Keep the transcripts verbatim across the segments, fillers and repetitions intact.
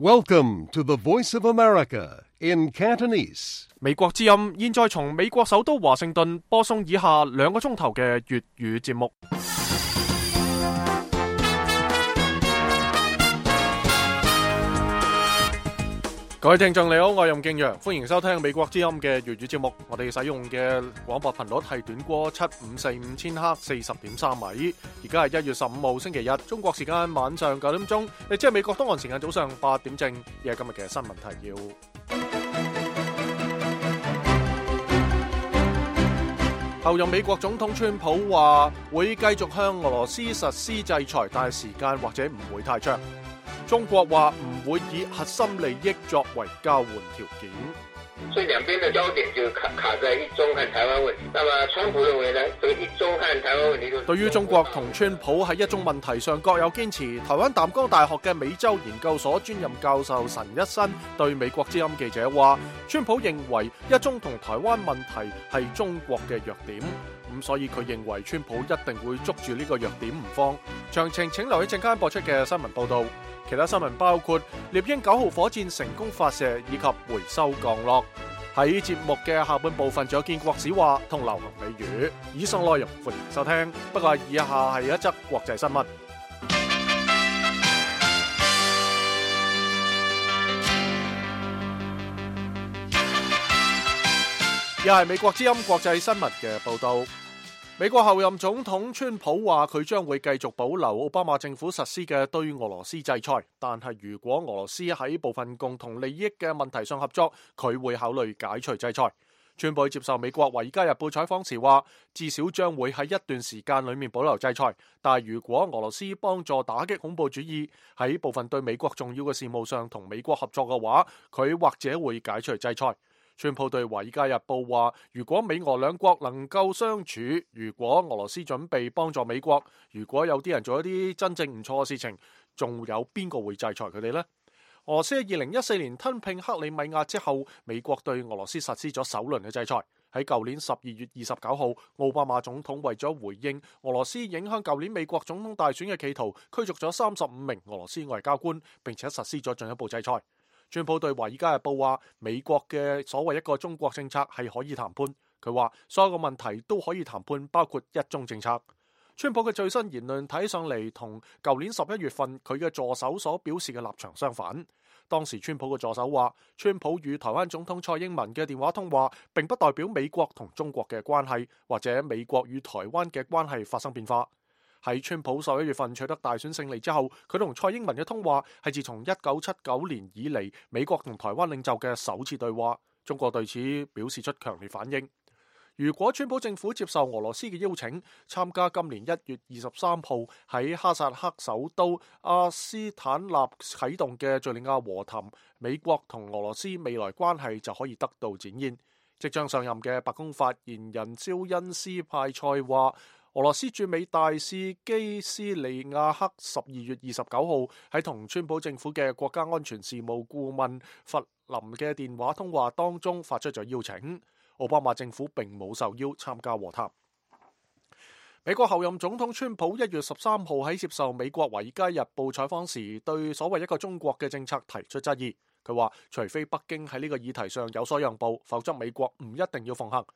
Welcome to the Voice of America in Cantonese. 美國之音現在從美國首都華盛頓播送以下兩個鐘頭嘅粵語節目。各位聽眾你好，我係任敬陽，歡迎收聽美國之音嘅粵語節目。我哋使用嘅廣播頻率係短波七五四五千赫四十點三米。而家係一月十五號星期日，中國時間晚上九點鐘，亦即係美國東岸時間早上八點正。亦係今日嘅新聞提要。後任美國總統川普話會繼續向俄羅斯實施制裁，但係時間或者唔會太長。中國話唔會以核心利益作為交換條件，所以兩邊的焦點就卡卡在一中和台灣問題。那麼川普認為呢，這個一中和台灣問題都對於中國同川普喺一中問題上各有堅持。台灣淡江大學嘅美洲研究所專任教授陳一新對美國之音記者話，川普認為一中同台灣問題係中國嘅弱點。咁所以佢認為川普一定會捉住呢個弱點唔放。詳情請留意陣間播出嘅新聞報道。其他新聞包括獵鷹九號火箭成功發射以及回收降落。喺節目嘅下半部分仲有建國史話同流行美語。以上內容歡迎收聽。不過以下係一則國際新聞。又係美國之音國際新聞嘅報道。美國後任總統川普話佢將會繼續保留奧巴馬政府實施嘅對俄羅斯制裁，但係如果俄羅斯喺部分共同利益嘅問題上合作，佢會考慮解除制裁。川普接受美國《華爾街日報》採訪時話，至少將會喺一段時間裏面保留制裁，但係如果俄羅斯幫助打擊恐怖主義，喺部分對美國重要嘅事務上同美國合作嘅話，佢或者會解除制裁。川普對《華爾街日報》話，如果美俄兩國能夠相處，如果俄羅斯準備幫助美國，如果有啲人做一啲真正唔錯嘅事情，仲有邊個會制裁佢哋呢？俄羅斯喺二零一四年吞併克里米亞之後，美國對俄羅斯實施咗首輪嘅制裁。喺舊年十二月二十九號，奧巴馬總統為咗回應俄羅斯影響舊年美國總統大選嘅企圖，驅逐咗三十五名俄羅斯外交官，並且實施咗進一步制裁。川普對《華爾街日報》話，美國嘅所謂一個中國政策係可以談判。佢話所有嘅問題都可以談判，包括一中政策。川普嘅最新言論睇上嚟同舊年十一月份佢嘅助手所表示嘅立場相反。當時川普嘅助手話，川普與台灣總統蔡英文嘅電話通話並不代表美國同中國嘅關係或者美國與台灣嘅關係發生變化。喺川普十一月份取得大選勝利之後，佢同蔡英文嘅通話係自從一九七九年以嚟美國同台灣領袖嘅首次對話。中國對此表示出強烈反應。如果川普政府接受俄羅斯嘅邀請，參加今年一月二十三號喺哈薩克首都阿斯坦納啟動嘅敘利亞和談，美國同俄羅斯未來關係就可以得到展現。即將上任嘅白宮發言人肖恩斯派塞話，俄羅斯駐美大使基斯利亞克十二月二十九號喺同川普政府嘅國家安全事務顧問弗林嘅電話通話當中發出咗邀請。奧巴馬政府並冇受邀參加和談。美國後任總統川普一月十三號喺接受美國《華爾街日報》採訪時，對所謂一個中國嘅政策提出質疑。佢話，除非北京喺呢個議題上有所讓步，否則美國唔一定要奉行。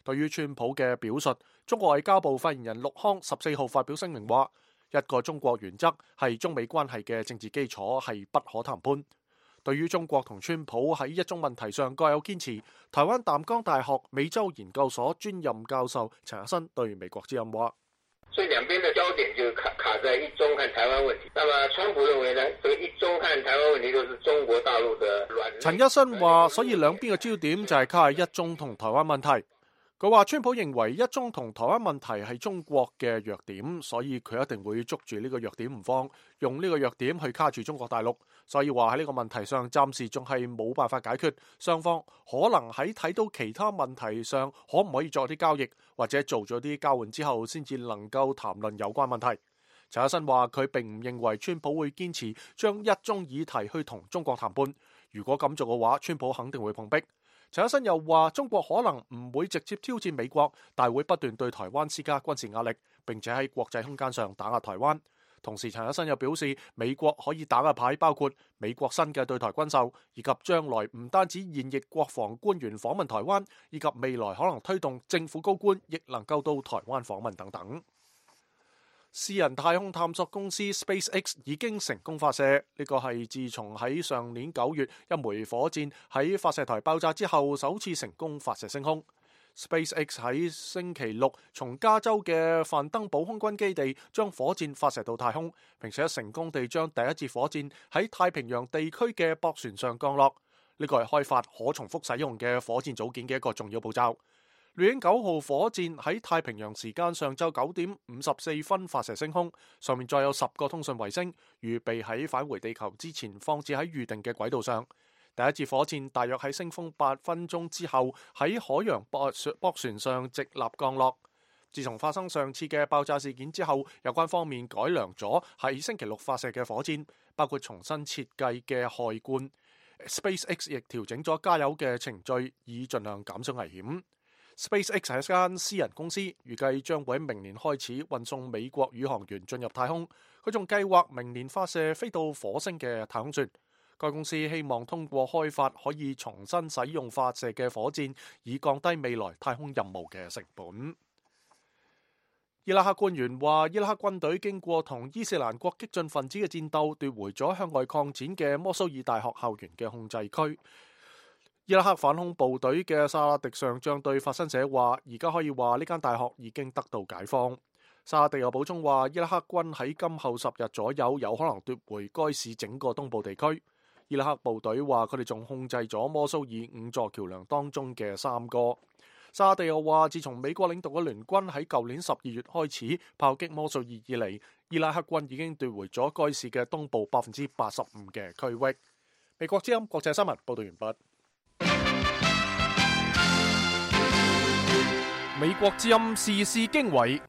對於川普嘅表述，中國外交部發言人陸康十四號發表聲明話，一個中國原則係中美關係嘅政治基礎，係不可談判。對於中國同川普喺一中問題上各有堅持，台灣淡江大學美洲研究所專任教授陳日新對美國之音話，所以兩邊的焦點就卡卡在一中和台灣問題。那麼川普認為呢，這個一中和台灣問題都是中國大陸的軟。陳一新話，所以兩邊嘅焦點就係卡喺一中同台灣問題。佢話川普認為一中同台灣問題係中國嘅弱點，所以佢一定會捉住呢個弱點唔放，用呢個弱點去卡住中國大陸。所以話喺呢個問題上暫時仲係冇辦法解決，雙方可能喺睇到其他問題上可唔可以作啲交易，或者做咗啲交換之後先至能夠談論有關問題。陳一新話佢並唔認為川普會堅持將一中議題去同中國談判，如果咁做嘅話，川普肯定會碰壁。陳一新又話，中國可能唔會直接挑戰美國，但會不斷對台灣施加軍事壓力，並且喺國際空間上打壓台灣。同時陳日新又表示，美國可以打嘅牌包括美國新嘅對台軍售，以及將來唔單止現役國防官員訪問台灣，以及未來可能推動政府高官亦能夠到台灣訪問等等。私人太空探索公司 SpaceX 已經成功發射，呢個係自從喺上年九月一枚火箭喺發射台爆炸之後首次成功發射升空。SpaceX 喺星期六從加州嘅范登堡空軍基地將火箭發射到太空，並且成功地將第一節火箭喺太平洋地區嘅駁船上降落。呢個係開發可重複使用嘅火箭組件嘅一個重要步驟。獵鷹九號火箭喺太平洋時間上晝九點五十四分發射升空，上面載有十個通訊衛星，預備喺返回地球之前放置喺預定嘅軌道上。第一節火箭大約喺升空八分鐘之後喺海洋駁駁船上直立降落。自從發生上次嘅爆炸事件之後，有關方面改良咗喺星期六發射嘅火箭，包括重新設計嘅氦罐。SpaceX 亦調整咗加油嘅程序，以盡量減少危險。SpaceX 係一間私人公司，預計將會喺明年開始運送美國宇航員進入太空。佢仲計劃明年發射飛到火星嘅太空船。該公司希望通過開發可以重新使用發射嘅火箭，以降低未來太空任務嘅成本。伊拉克官員話，伊拉克軍隊經過同伊斯蘭國激進分子嘅戰鬥，奪回咗向外擴展嘅摩蘇爾大學校園嘅控制區。伊拉克反恐部隊嘅薩拉迪上將對法新社話，而家可以話呢間大學已經得到解放。薩拉迪又補充話，伊拉克軍喺今後十日左右有可能奪回該市整個東部地區。伊拉克部隊話佢哋仲控制咗摩蘇爾五座橋樑當中嘅三個。薩拉迪又話，自從美國領導嘅聯軍喺舊年十二月開始炮擊摩蘇爾以嚟，伊拉克軍已經奪回咗該市嘅東部百分之八十五嘅區域。美國之音國際新聞報道完畢。美國之音時事經緯，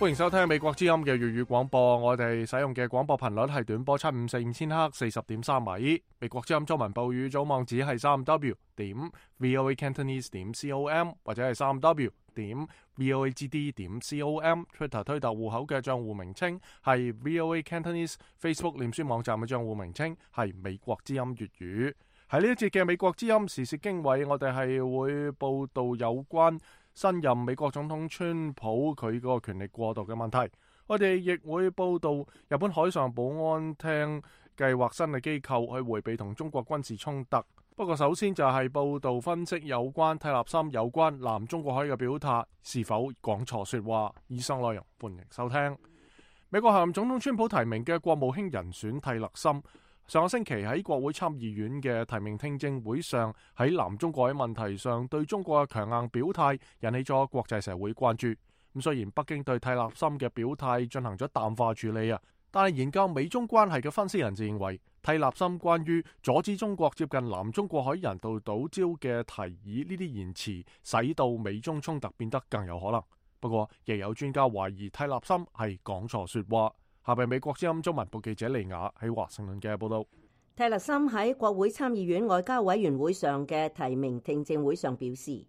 歡迎收聽美國之音嘅粵語廣播。我哋使用嘅廣播頻率係短波七五四五千赫四十點三米。美國之音中文部語組網址係三 w 點 voa cantonese 點 com 或者係三 w 點 voa gd 點 com。Twitter 推特戶口嘅賬戶名稱係 voa cantonese。Facebook 臉書網站嘅賬戶名稱係美國之音粵語。喺呢一節嘅美國之音時事經緯，我哋係會報道有關新任美國總統川普佢個權力過渡嘅問題。我哋亦會報道日本海上保安廳計劃新嘅機構去迴避同中國軍事衝突。不過首先就係報道分析有關蒂勒森有關南中國海嘅表態是否講錯說話。以上內容歡迎收聽。美國下任總統川普提名嘅國務卿人選蒂勒森，上個星期喺國會參議院嘅提名聽證會上，喺南中國海問題上對中國嘅強硬表態引起咗國際社會關注。咁雖然北京對蒂勒森嘅表態進行咗淡化處理啊，但係研究美中關係嘅分析人士認為，蒂勒森關於阻止中國接近南中國海人道島礁嘅提議呢啲言辭，使到美中衝突變得更有可能。不過，亦有專家懷疑蒂勒森係講錯說話。下邊美國之音中文部記者利亞喺華盛頓嘅報道。蒂勒森喺國會參議院外交委員會上嘅提名聽證會上表示，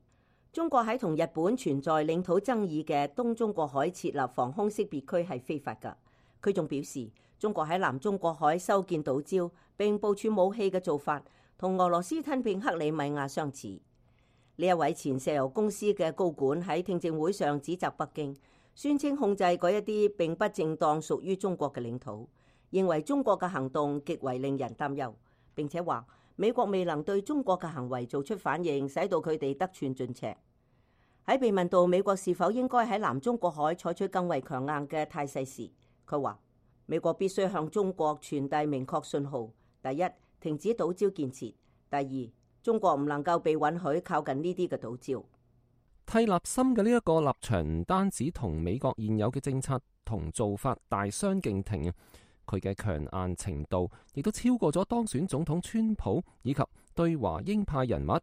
中國喺同日本存在領土爭議嘅東中國海設立防空識別區係非法㗎。佢仲表示，中國喺南中國海修建島礁並部署武器嘅做法，同俄羅斯吞併克里米亞相似。呢一位前石油公司嘅高管喺聽證會上指責北京，宣稱控制嗰一啲並不正當屬於中國嘅領土，認為中國嘅行動極為令人擔憂，並且話美國未能對中國嘅行為做出反應，使到佢哋得寸進尺。喺被問到美國是否應該喺南中國海採取更為強硬嘅態勢時，佢話美國必須向中國傳遞明確信號：第一，停止島礁建設；第二，中國唔能夠被允許靠近呢啲嘅島礁。蒂勒森嘅呢一個立場唔單止同美國現有嘅政策同做法大相徑庭，佢嘅強硬程度亦都超過咗當選總統川普以及對華鷹派人物。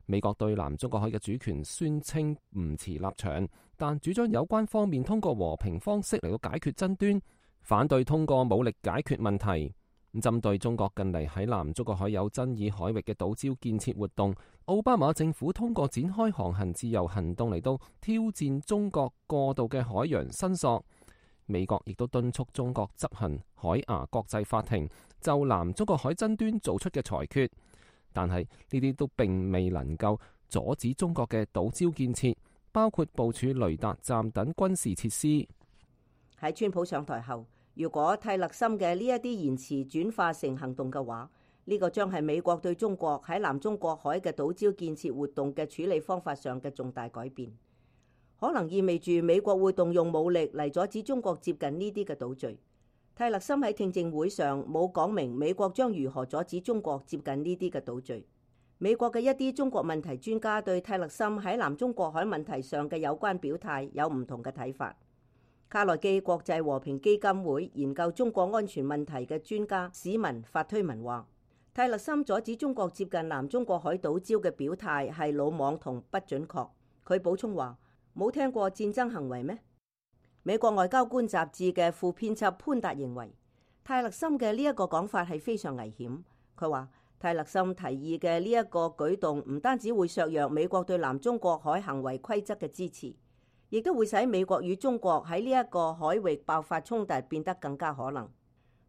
美國對南中國海嘅主權宣稱唔持立場，但主張有關方面通過和平方式嚟到解決爭端，反對通過武力解決問題。針對中國近嚟喺南中國海有爭議海域嘅島礁建設活動，奧巴馬政府通過展開航行自由行動嚟到挑戰中國過度嘅海洋申索。美國亦都敦促中國執行海牙國際法庭就南中國海爭端做出嘅裁決，但係呢啲都並未能夠阻止中國嘅島礁建設，包括部署雷達站等軍事設施。喺川普上台後，如果泰勒森嘅呢一啲言辭轉化成行動嘅話，呢個將係美國對中國喺南中國海嘅島礁建設活動嘅處理方法上嘅重大改變，可能意味住美國會動用武力嚟阻止中國接近呢啲嘅島嶼。泰勒森喺聽證會上冇講明美國將如何阻止中國接近呢啲嘅島嶼。美國嘅一啲中國問題專家對泰勒森喺南中國海問題上嘅有關表態有唔同嘅睇法。卡內基國際和平基金會研究中國安全問題嘅專家史文發推文話，泰勒森阻止中國接近南中國海島礁嘅表態係魯莽同不準確。佢補充話，冇聽過戰爭行為咩？美國外交官雜誌嘅副編輯潘達認為，泰勒森嘅呢一個講法係非常危險。佢話，泰勒森提議嘅呢一個舉動唔單止會削弱美國對南中國海行為規則嘅支持，亦都會使美國與中國喺呢一個海域爆發衝突變得更加可能。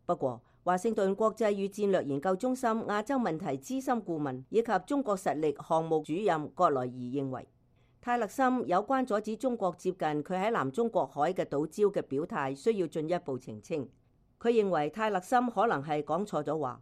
不過，華盛頓國際與戰略研究中心亞洲問題資深顧問以及中國實力項目主任葛萊儀認為，泰勒森有關阻止中國接近佢喺南中國海嘅島礁嘅表態需要進一步澄清。佢認為泰勒森可能係講錯咗話，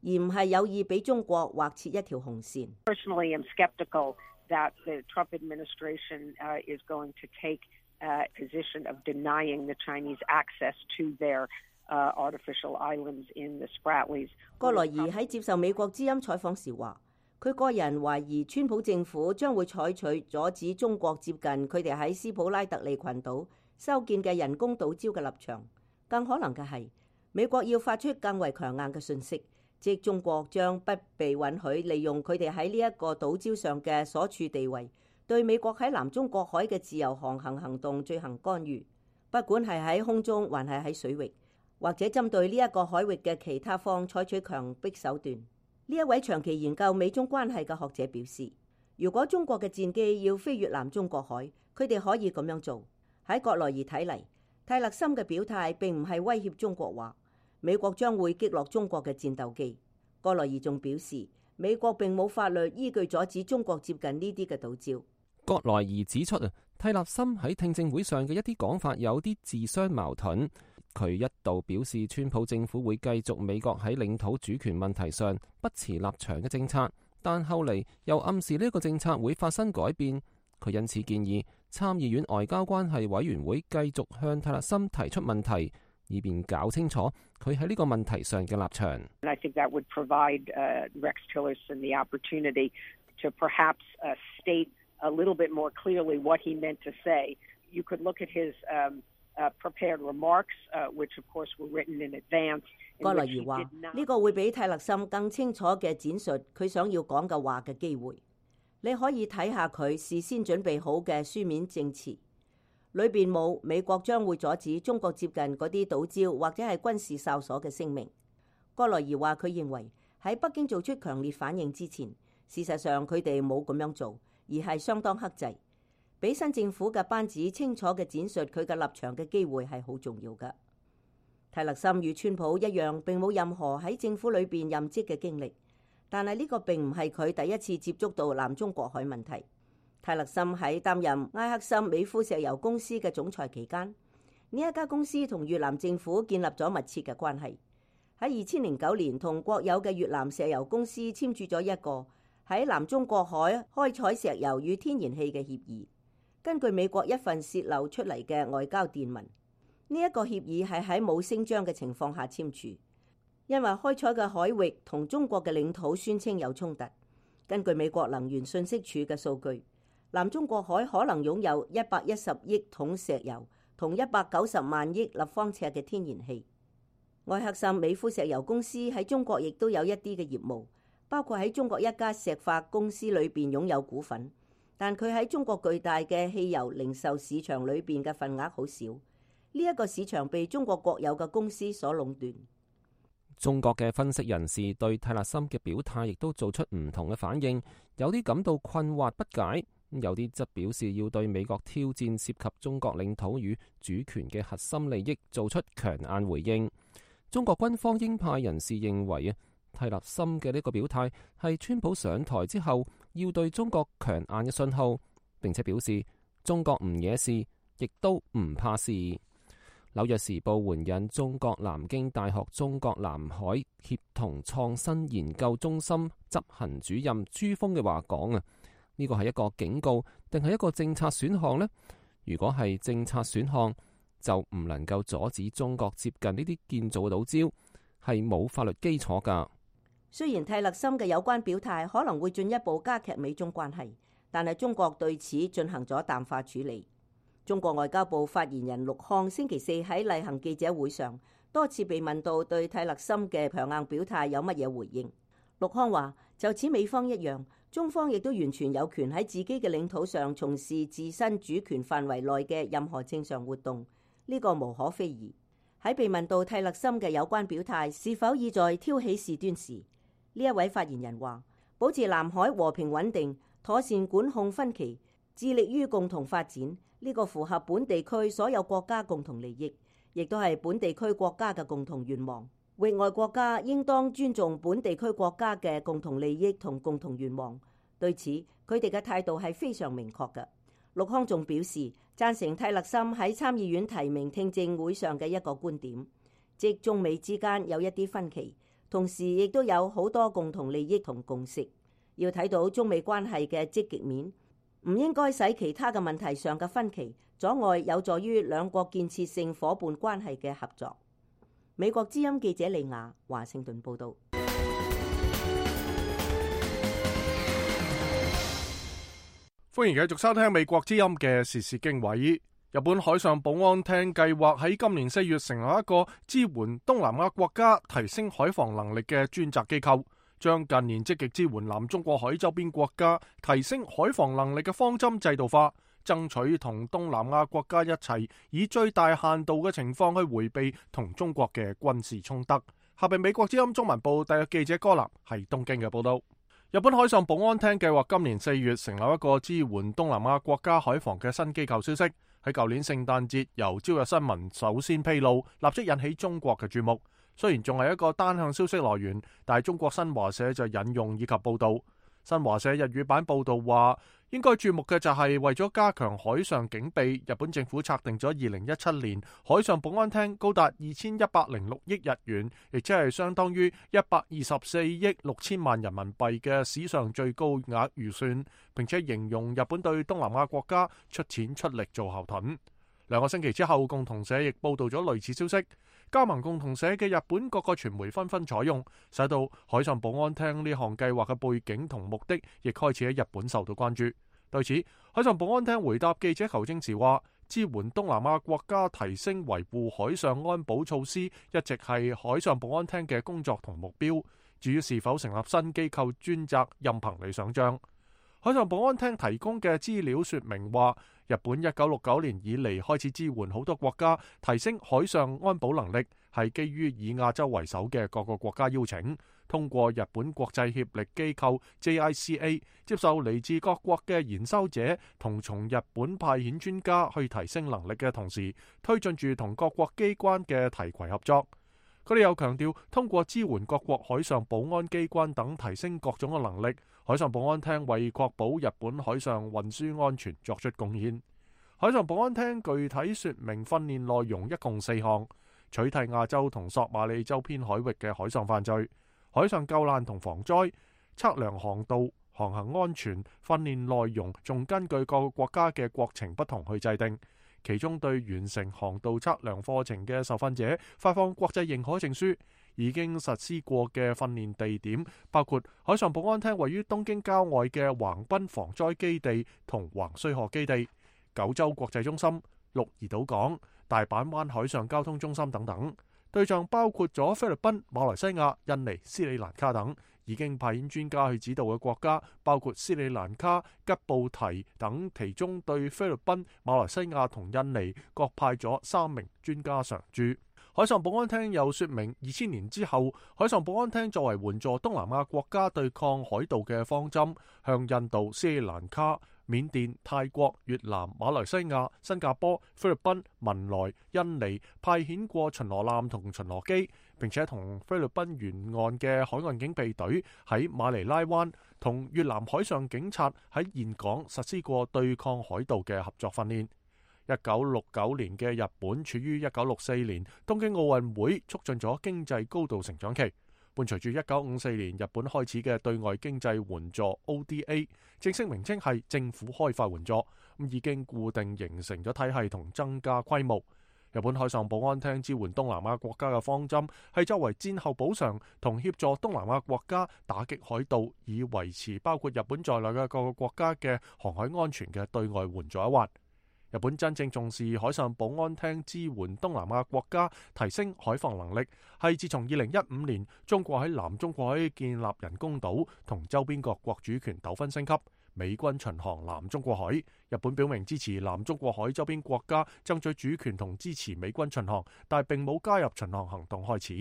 而唔係有意俾中國劃設一條紅線。Personally, I'm skeptical that the Trump administration uh, is going to take a position of denying the Chinese access to their uh, artificial islands in the Spratlys. 葛萊儀喺接受美國之音採訪時話，佢個人懷疑川普政府將會採取阻止中國接近佢哋喺斯普拉特利群島修建嘅人工島礁嘅立場。更可能嘅係，美國要發出更為強硬嘅訊息，即中國將不被允許利用佢哋喺呢一個島礁上嘅所處地位，對美國喺南中國海嘅自由航行行動進行干預，不管係喺空中還係喺水域，或者針對呢一個海域嘅其他方採取強迫手段。呢一位長期研究美中關係嘅學者表示，如果中國嘅戰機要飛越南中國海，佢哋可以咁樣做。喺葛萊儀睇嚟，泰勒森嘅表態並唔係威脅中國話美國將會擊落中國嘅戰鬥機。葛萊儀仲表示，美國並冇法律依據阻止中國接近呢啲嘅島礁。葛萊儀指出啊，泰勒森喺聽證會上嘅一啲講法有啲自相矛盾。佢一度表示，川普政府會繼續美國喺領土主權問題上不持立場嘅政策，但後嚟又暗示呢個政策會發生改變。佢因此建議參議院外交關係委員會繼續向泰勒森提出問題，以便搞清楚佢喺呢個問題上嘅立場。I think that would provide uh, Rex Tillerson the opportunity to perhaps uh, state a little bit more clearly what he meant to say. You could look at his um, uh, prepared remarks, uh, which of course were written in advance. 葛萊儀話：呢個會俾泰勒森更清楚嘅展述佢想要講嘅話嘅機會。你可以睇下佢事先準備好嘅書面證詞，裏邊冇美國將會阻止中國接近嗰啲島礁或者係軍事哨所嘅聲明。葛萊儀話佢認為喺北京做出強烈反應之前，事實上佢哋冇咁樣做，而係相當克制，俾新政府嘅班子清楚嘅展述佢嘅立場嘅機會係好重要嘅。泰勒森與川普一樣，並冇任何喺政府裏邊任職嘅經歷，但係呢個並唔係佢第一次接觸到南中國海問題。泰勒森喺擔任埃克森美孚石油公司嘅總裁期間，呢一家公司同越南政府建立咗密切嘅關係。喺二千零九年，同國有嘅越南石油公司簽署咗一個喺南中國海開採石油與天然氣嘅協議。根據美國一份洩漏出嚟嘅外交電文，呢一個協議係喺冇聲張嘅情況下簽署，因為開採嘅海域同中國嘅領土宣稱有衝突。根據美國能源信息署嘅數據，南中國海可能擁有一百一十億桶石油同一百九十萬億立方尺嘅天然氣。埃克森美孚石油公司喺中國亦都有一啲嘅業務，包括喺中國一家石化公司裏邊擁有股份，但佢喺中國巨大嘅汽油零售市場裏邊嘅份額好少。呢一個市場被中國國有嘅公司所壟斷。中國嘅分析人士對泰勒森嘅表態亦都做出唔同嘅反應，有啲感到困惑不解，有啲則表示要對美國挑戰涉及中國領土與主權嘅核心利益做出強硬回應。中國軍方鷹派人士認為啊，泰勒森嘅呢個表態係川普上台之後要對中國強硬嘅信號，並且表示中國唔惹事，亦都唔怕事。紐約時報援引中國南京大學中國南海協同創新研究中心執行主任朱峰嘅話講啊，呢個係一個警告定係一個政策選項呢？如果係政策選項，就唔能夠阻止中國接近呢啲建造嘅島礁，係冇法律基礎噶。雖然泰勒森嘅有關表態可能會進一步加劇美中關係，但係中國對此進行咗淡化處理。中國外交部發言人陸康星期四喺例行記者會上多次被問到對泰勒森嘅強硬表態有乜嘢回應。陸康話：就此美方一樣，中方亦都完全有權喺自己嘅領土上從事自身主權範圍內嘅任何正常活動，呢個無可非議。喺被問到泰勒森嘅有關表態是否意在挑起事端時，呢一位發言人話：保持南海和平穩定，妥善管控分歧，致力於共同發展。呢個符合本地區所有國家共同利益，亦都係本地區國家嘅共同願望。域外國家應當尊重本地區國家嘅共同利益同共同願望。對此，佢哋嘅態度係非常明確嘅。陸康仲表示贊成泰勒森喺參議院提名聽證會上嘅一個觀點，即中美之間有一啲分歧，同時亦都有好多共同利益同共識。要睇到中美關係嘅積極面，唔應該使其他嘅問題上嘅分歧阻礙有助於兩國建設性夥伴關係嘅合作。美國之音記者李雅華盛頓報道。歡迎繼續收聽美國之音嘅時事經緯。日本海上保安廳計劃喺今年四月成立一個支援東南亞國家提升海防能力嘅專責機構，將近年積極支援南中國海周邊國家提升海防能力嘅方針制度化，爭取同東南亞國家一齊以最大限度嘅情況去迴避同中國嘅軍事衝突。下邊美國之音中文部特約記者柯南係東京嘅報道。日本海上保安廳計劃今年四月成立一個支援東南亞國家海防嘅新機構，消息喺舊年聖誕節由朝日新聞首先披露，立即引起中國嘅注目。雖然仲係一個單向消息來源，但係中國新華社就引用以及報道。新華社日語版報道話，應該注目嘅就係為咗加強海上警備，日本政府策定咗二零一七年海上保安廳高達二千一百零六億日元，亦即係相當於一百二十四億六千萬人民幣嘅史上最高額預算，並且形容日本對東南亞國家出錢出力做後盾。兩個星期之後，共同社亦報道咗類似消息。加盟共同社嘅日本各個傳媒紛紛採用，使到海上保安廳呢項計劃嘅背景同目的，亦開始喺日本受到關注。對此，海上保安廳回答記者求證時話，支援東南亞國家提升維護海上安保措施，一直係海上保安廳嘅工作同目標。至於是否成立新機構專責，任憑你想象。海上保安廳提供嘅資料說明話，日本一九六九年以嚟開始支援好多國家提升海上安保能力，係基於以亞洲為首嘅各個國家邀請，通過日本國際協力機構 J I C A 接受嚟自各國嘅研修者同從日本派遣專家去提升能力嘅同時，推進住同各國機關嘅提攜合作。佢哋又強調，通過支援各國海上保安機關等提升各種嘅能力，海上保安廳為確保日本海上運輸安全作出貢獻。海上保安廳具體說明訓練內容一共四項：取締亞洲同索馬里周邊海域嘅海上犯罪、海上救難同防災、測量航道、航行安全。訓練內容仲根據各個國家嘅國情不同去制定。其中對完成航道測量課程嘅受訓者發放國際認可證書。已經實施過嘅訓練地點包括海上保安廳位於東京郊外嘅橫濱防災基地同橫須賀基地、九州國際中心、鹿兒島港、大阪灣海上交通中心等等。對象包括咗菲律賓、馬來西亞、印尼、斯里蘭卡等。已經派遣專家去指導嘅國家包括斯里蘭卡、吉布提等，其中對菲律賓、馬來西亞同印尼各派咗三名專家常駐。海上保安廳又說明，二千年之後，海上保安廳作為援助東南亞國家對抗海盜嘅方針，向印度、斯里蘭卡、緬甸、泰國、越南、馬來西亞、新加坡、菲律賓、文萊、印尼派遣過巡邏艦同巡邏機，並且同菲律賓沿岸嘅海岸警備隊喺馬尼拉灣同越南海上警察喺峴港實施過對抗海盜嘅合作訓練。一九六九年嘅日本處於一九六四年東京奧運會促進咗經濟高度成長期，伴隨住一九五四年日本開始嘅對外經濟援助 O D A， 正式名稱係政府開發援助，咁已經固定形成咗體系同增加規模。日本海上保安廳支援東南亞國家嘅方針係作為戰後補償同協助東南亞國家打擊海盜，以維持包括日本在內嘅各個國家嘅航海安全嘅對外援助一環。日本真正重視海上保安廳支援東南亞國家提升海防能力，係自從二零一五年中國喺南中國海建立人工島同周邊各國主權糾紛升級，美軍巡航南中國海，日本表明支持南中國海周邊國家爭取主權同支持美軍巡航，但並冇加入巡航行動開始。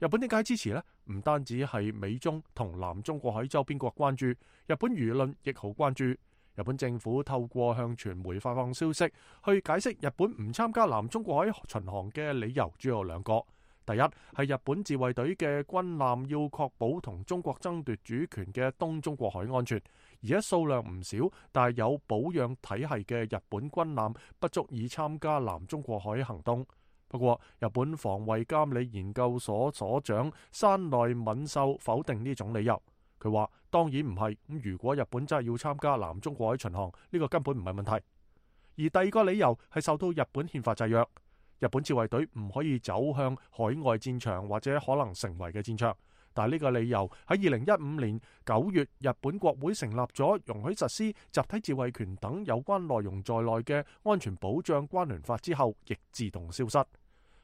日本點解支持呢？唔單止係美中同南中國海周邊國關注，日本輿論亦好關注。日本政府透過向傳媒發放消息，去解釋日本唔參加南中國海巡航嘅理由主要有兩個。第一係日本自衛隊嘅軍艦要確保同中國爭奪主權嘅東中國海安全，而且數量唔少，但係有保養體系嘅日本軍艦不足以參加南中國海行動。不過，日本防衛監理研究所所長山內敏秀否定呢種理由。佢話：當然唔係，咁如果日本真係要參加南中國海巡航，呢個根本唔係問題。而第二個理由係受到日本憲法制約，日本自衛隊唔可以走向海外戰場或者可能成為嘅戰場。但係呢個理由喺二零一五年九月，日本國會成立咗容許實施集體自衛權等有關內容在內嘅安全保障關聯法之後，亦自動消失。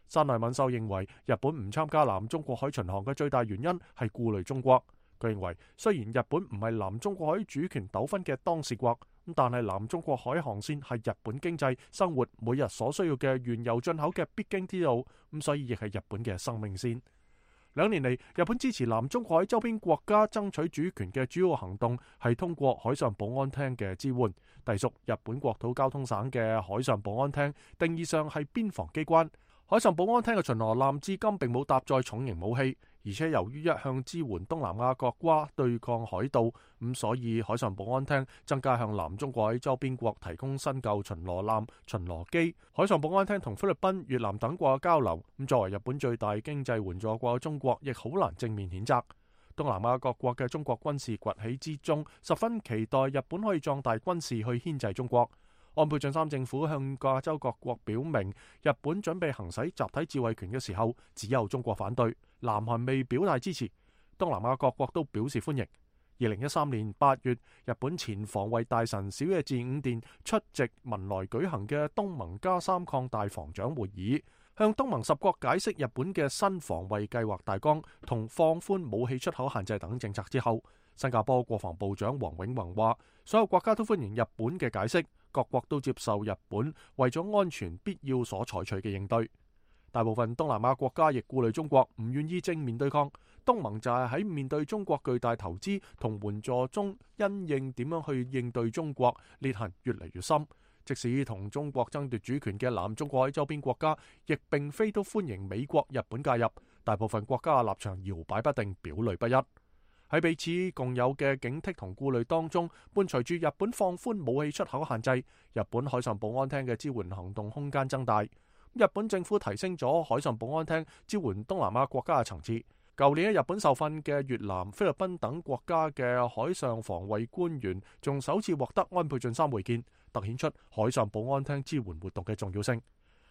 山內敏秀認為，日本唔參加南中國海巡航嘅最大原因係顧慮中國。佢認為，雖然日本唔係南中國海主權糾紛嘅當事國，咁但係南中國海航線係日本經濟生活每日所需要嘅原油進口嘅必經之路，咁所以亦係日本嘅生命線。兩年嚟，日本支持南中國海周邊國家爭取主權嘅主要行動係通過海上保安廳嘅支援，隸屬日本國土交通省嘅海上保安廳，定義上係邊防機關。海上保安廳嘅巡邏艦至今並冇搭載重型武器，而且由於一向支援東南亞國家對抗海盜，咁所以海上保安廳增加向南中國海周邊國提供新舊巡邏艦、巡邏機。海上保安廳同菲律賓、越南等國嘅交流，咁作為日本最大經濟援助國嘅中國，亦好難正面譴責。東南亞各國嘅中國軍事崛起之中，十分期待日本可以壯大軍事去牽制中國。安倍晉三政府向亞洲各國表明，日本準備行使集體自衛權嘅時候，只有中國反對，南韓未表態支持，東南亞各國都表示歡迎。二零一三年八月，日本前防衛大臣小野寺五殿出席文萊舉行嘅東盟加三擴大防長會議，向東盟十國解釋日本嘅新防衛計劃大綱同放寬武器出口限制等政策之後，新加坡國防部長黃永宏話，所有國家都歡迎日本嘅解釋，各國都接受日本為咗安全必要所採取嘅應對。大部分東南亞國家亦顧慮中國，唔願意正面對抗。東盟就係喺面對中國巨大投資同援助中，因應點樣去應對中國，裂痕越嚟越深。即使同中國爭奪主權嘅南中國海周邊國家，亦並非都歡迎美國、日本介入。大部分國家嘅立場搖擺不定，表裏不一。喺彼此共有嘅警惕同顧慮當中，伴隨住日本放寬武器出口限制，日本海上保安廳嘅支援行動空間增大。日本政府提升咗海上保安廳支援東南亞國家嘅層次。舊年喺日本受訓嘅越南、菲律賓等國家嘅海上防衛官員，仲首次獲得安倍晉三會見，凸顯出海上保安廳支援活動嘅重要性。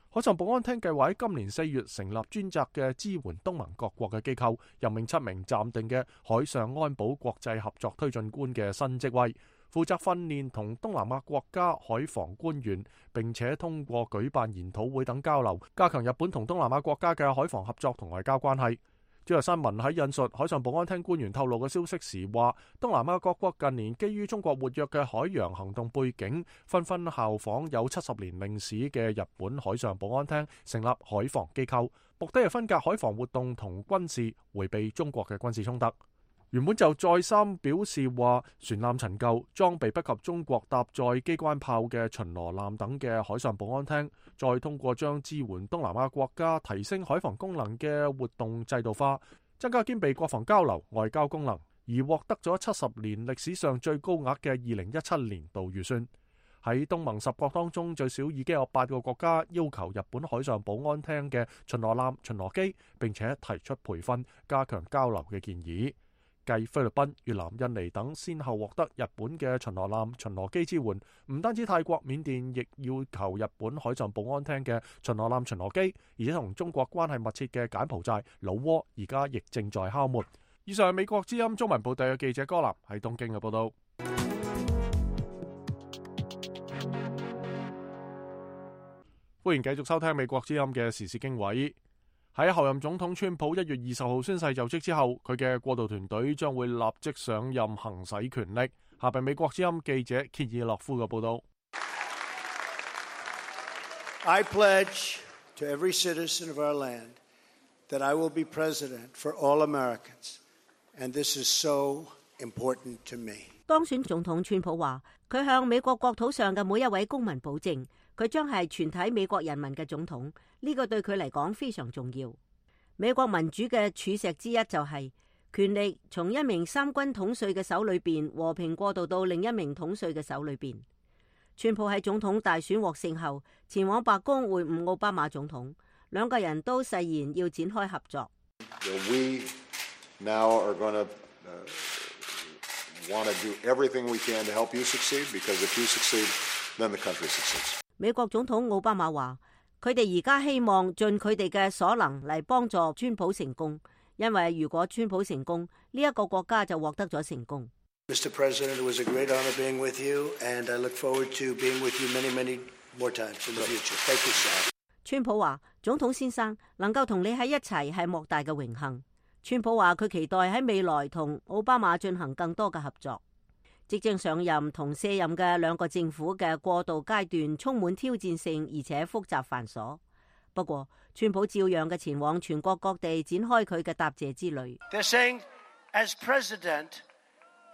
海上保安廳計劃喺今年四月成立專責嘅支援東盟各國嘅機構，任命七名暫定嘅海上安保國際合作推進官嘅新職位，負責訓練同東南亞國家海防官員，並且通過舉辦研討會等交流，加強日本同東南亞國家嘅海防合作同外交關係。朝日新聞喺引述海上保安廳官員透露嘅消息時話，東南亞各國近年基於中國活躍嘅海洋行動背景，紛紛效仿有七十年歷史嘅日本海上保安廳，成立海防機構，目的係分隔海防活動同軍事，迴避中國嘅軍事衝突。原本就再三表示話，船艦陳舊、裝備不及中國搭載機關炮嘅巡邏艦等嘅海上保安廳，再通過將支援東南亞國家提升海防功能嘅活動制度化，增加兼備國防交流、外交功能，而獲得咗七十年歷史上最高額嘅二零一七年度預算。喺東盟十國當中，最少已經有八個國家要求日本海上保安廳嘅巡邏艦、巡邏機，並且提出培訓、加強交流嘅建議。繼菲律賓、越南、印尼等先後獲得日本嘅巡邏艦、巡邏機支援，唔單止泰國、緬甸亦要求日本海上保安廳嘅巡邏艦、巡邏機，而且同中國關係密切嘅柬埔寨、老撾而家亦正在敲門。以上係美國之音中文部隊嘅記者柯南喺東京嘅報道。歡迎繼續收聽美國之音嘅時事經緯。喺候任總統川普一月二十號宣誓就職之後，佢嘅過渡團隊將會立即上任行使權力。下邊美國之音記者歇爾諾夫嘅報道。I pledge to every citizen of our land that I will be president for all Americans, and this is so important to me. 當選總統川普話，佢向美國國土上嘅每一位公民保證，佢將係全體美國人民嘅總統。呢個對佢嚟講非常重要。美國民主嘅柱石之一就係權力從一名三軍統帥嘅手裏邊和平過渡到另一名統帥嘅手裏邊。川普喺總統大選獲勝後，前往白宮會晤奧巴馬總統，兩個人都誓言要展開合作。We now are going to want to do everything we can to help you succeed, because if you succeed, then the country succeeds. 美國總統奧巴馬話，佢哋而家希望盡佢哋嘅所能嚟幫助川普成功，因為如果川普成功，呢一個國家就獲得咗成功。Mister President, it was a great honor being with you, and I look forward to being with you many, many more times in the future. Thank you, sir. 川普話：總統先生能夠同你喺一齊係莫大嘅榮幸。川普話佢期待喺未來同奧巴馬進行更多嘅合作。即將上任同卸任嘅兩個政府嘅過渡階段充滿挑戰性，而且複雜繁瑣。不過，川普照樣嘅前往全國各地展開佢嘅答謝之旅。They're saying, as president,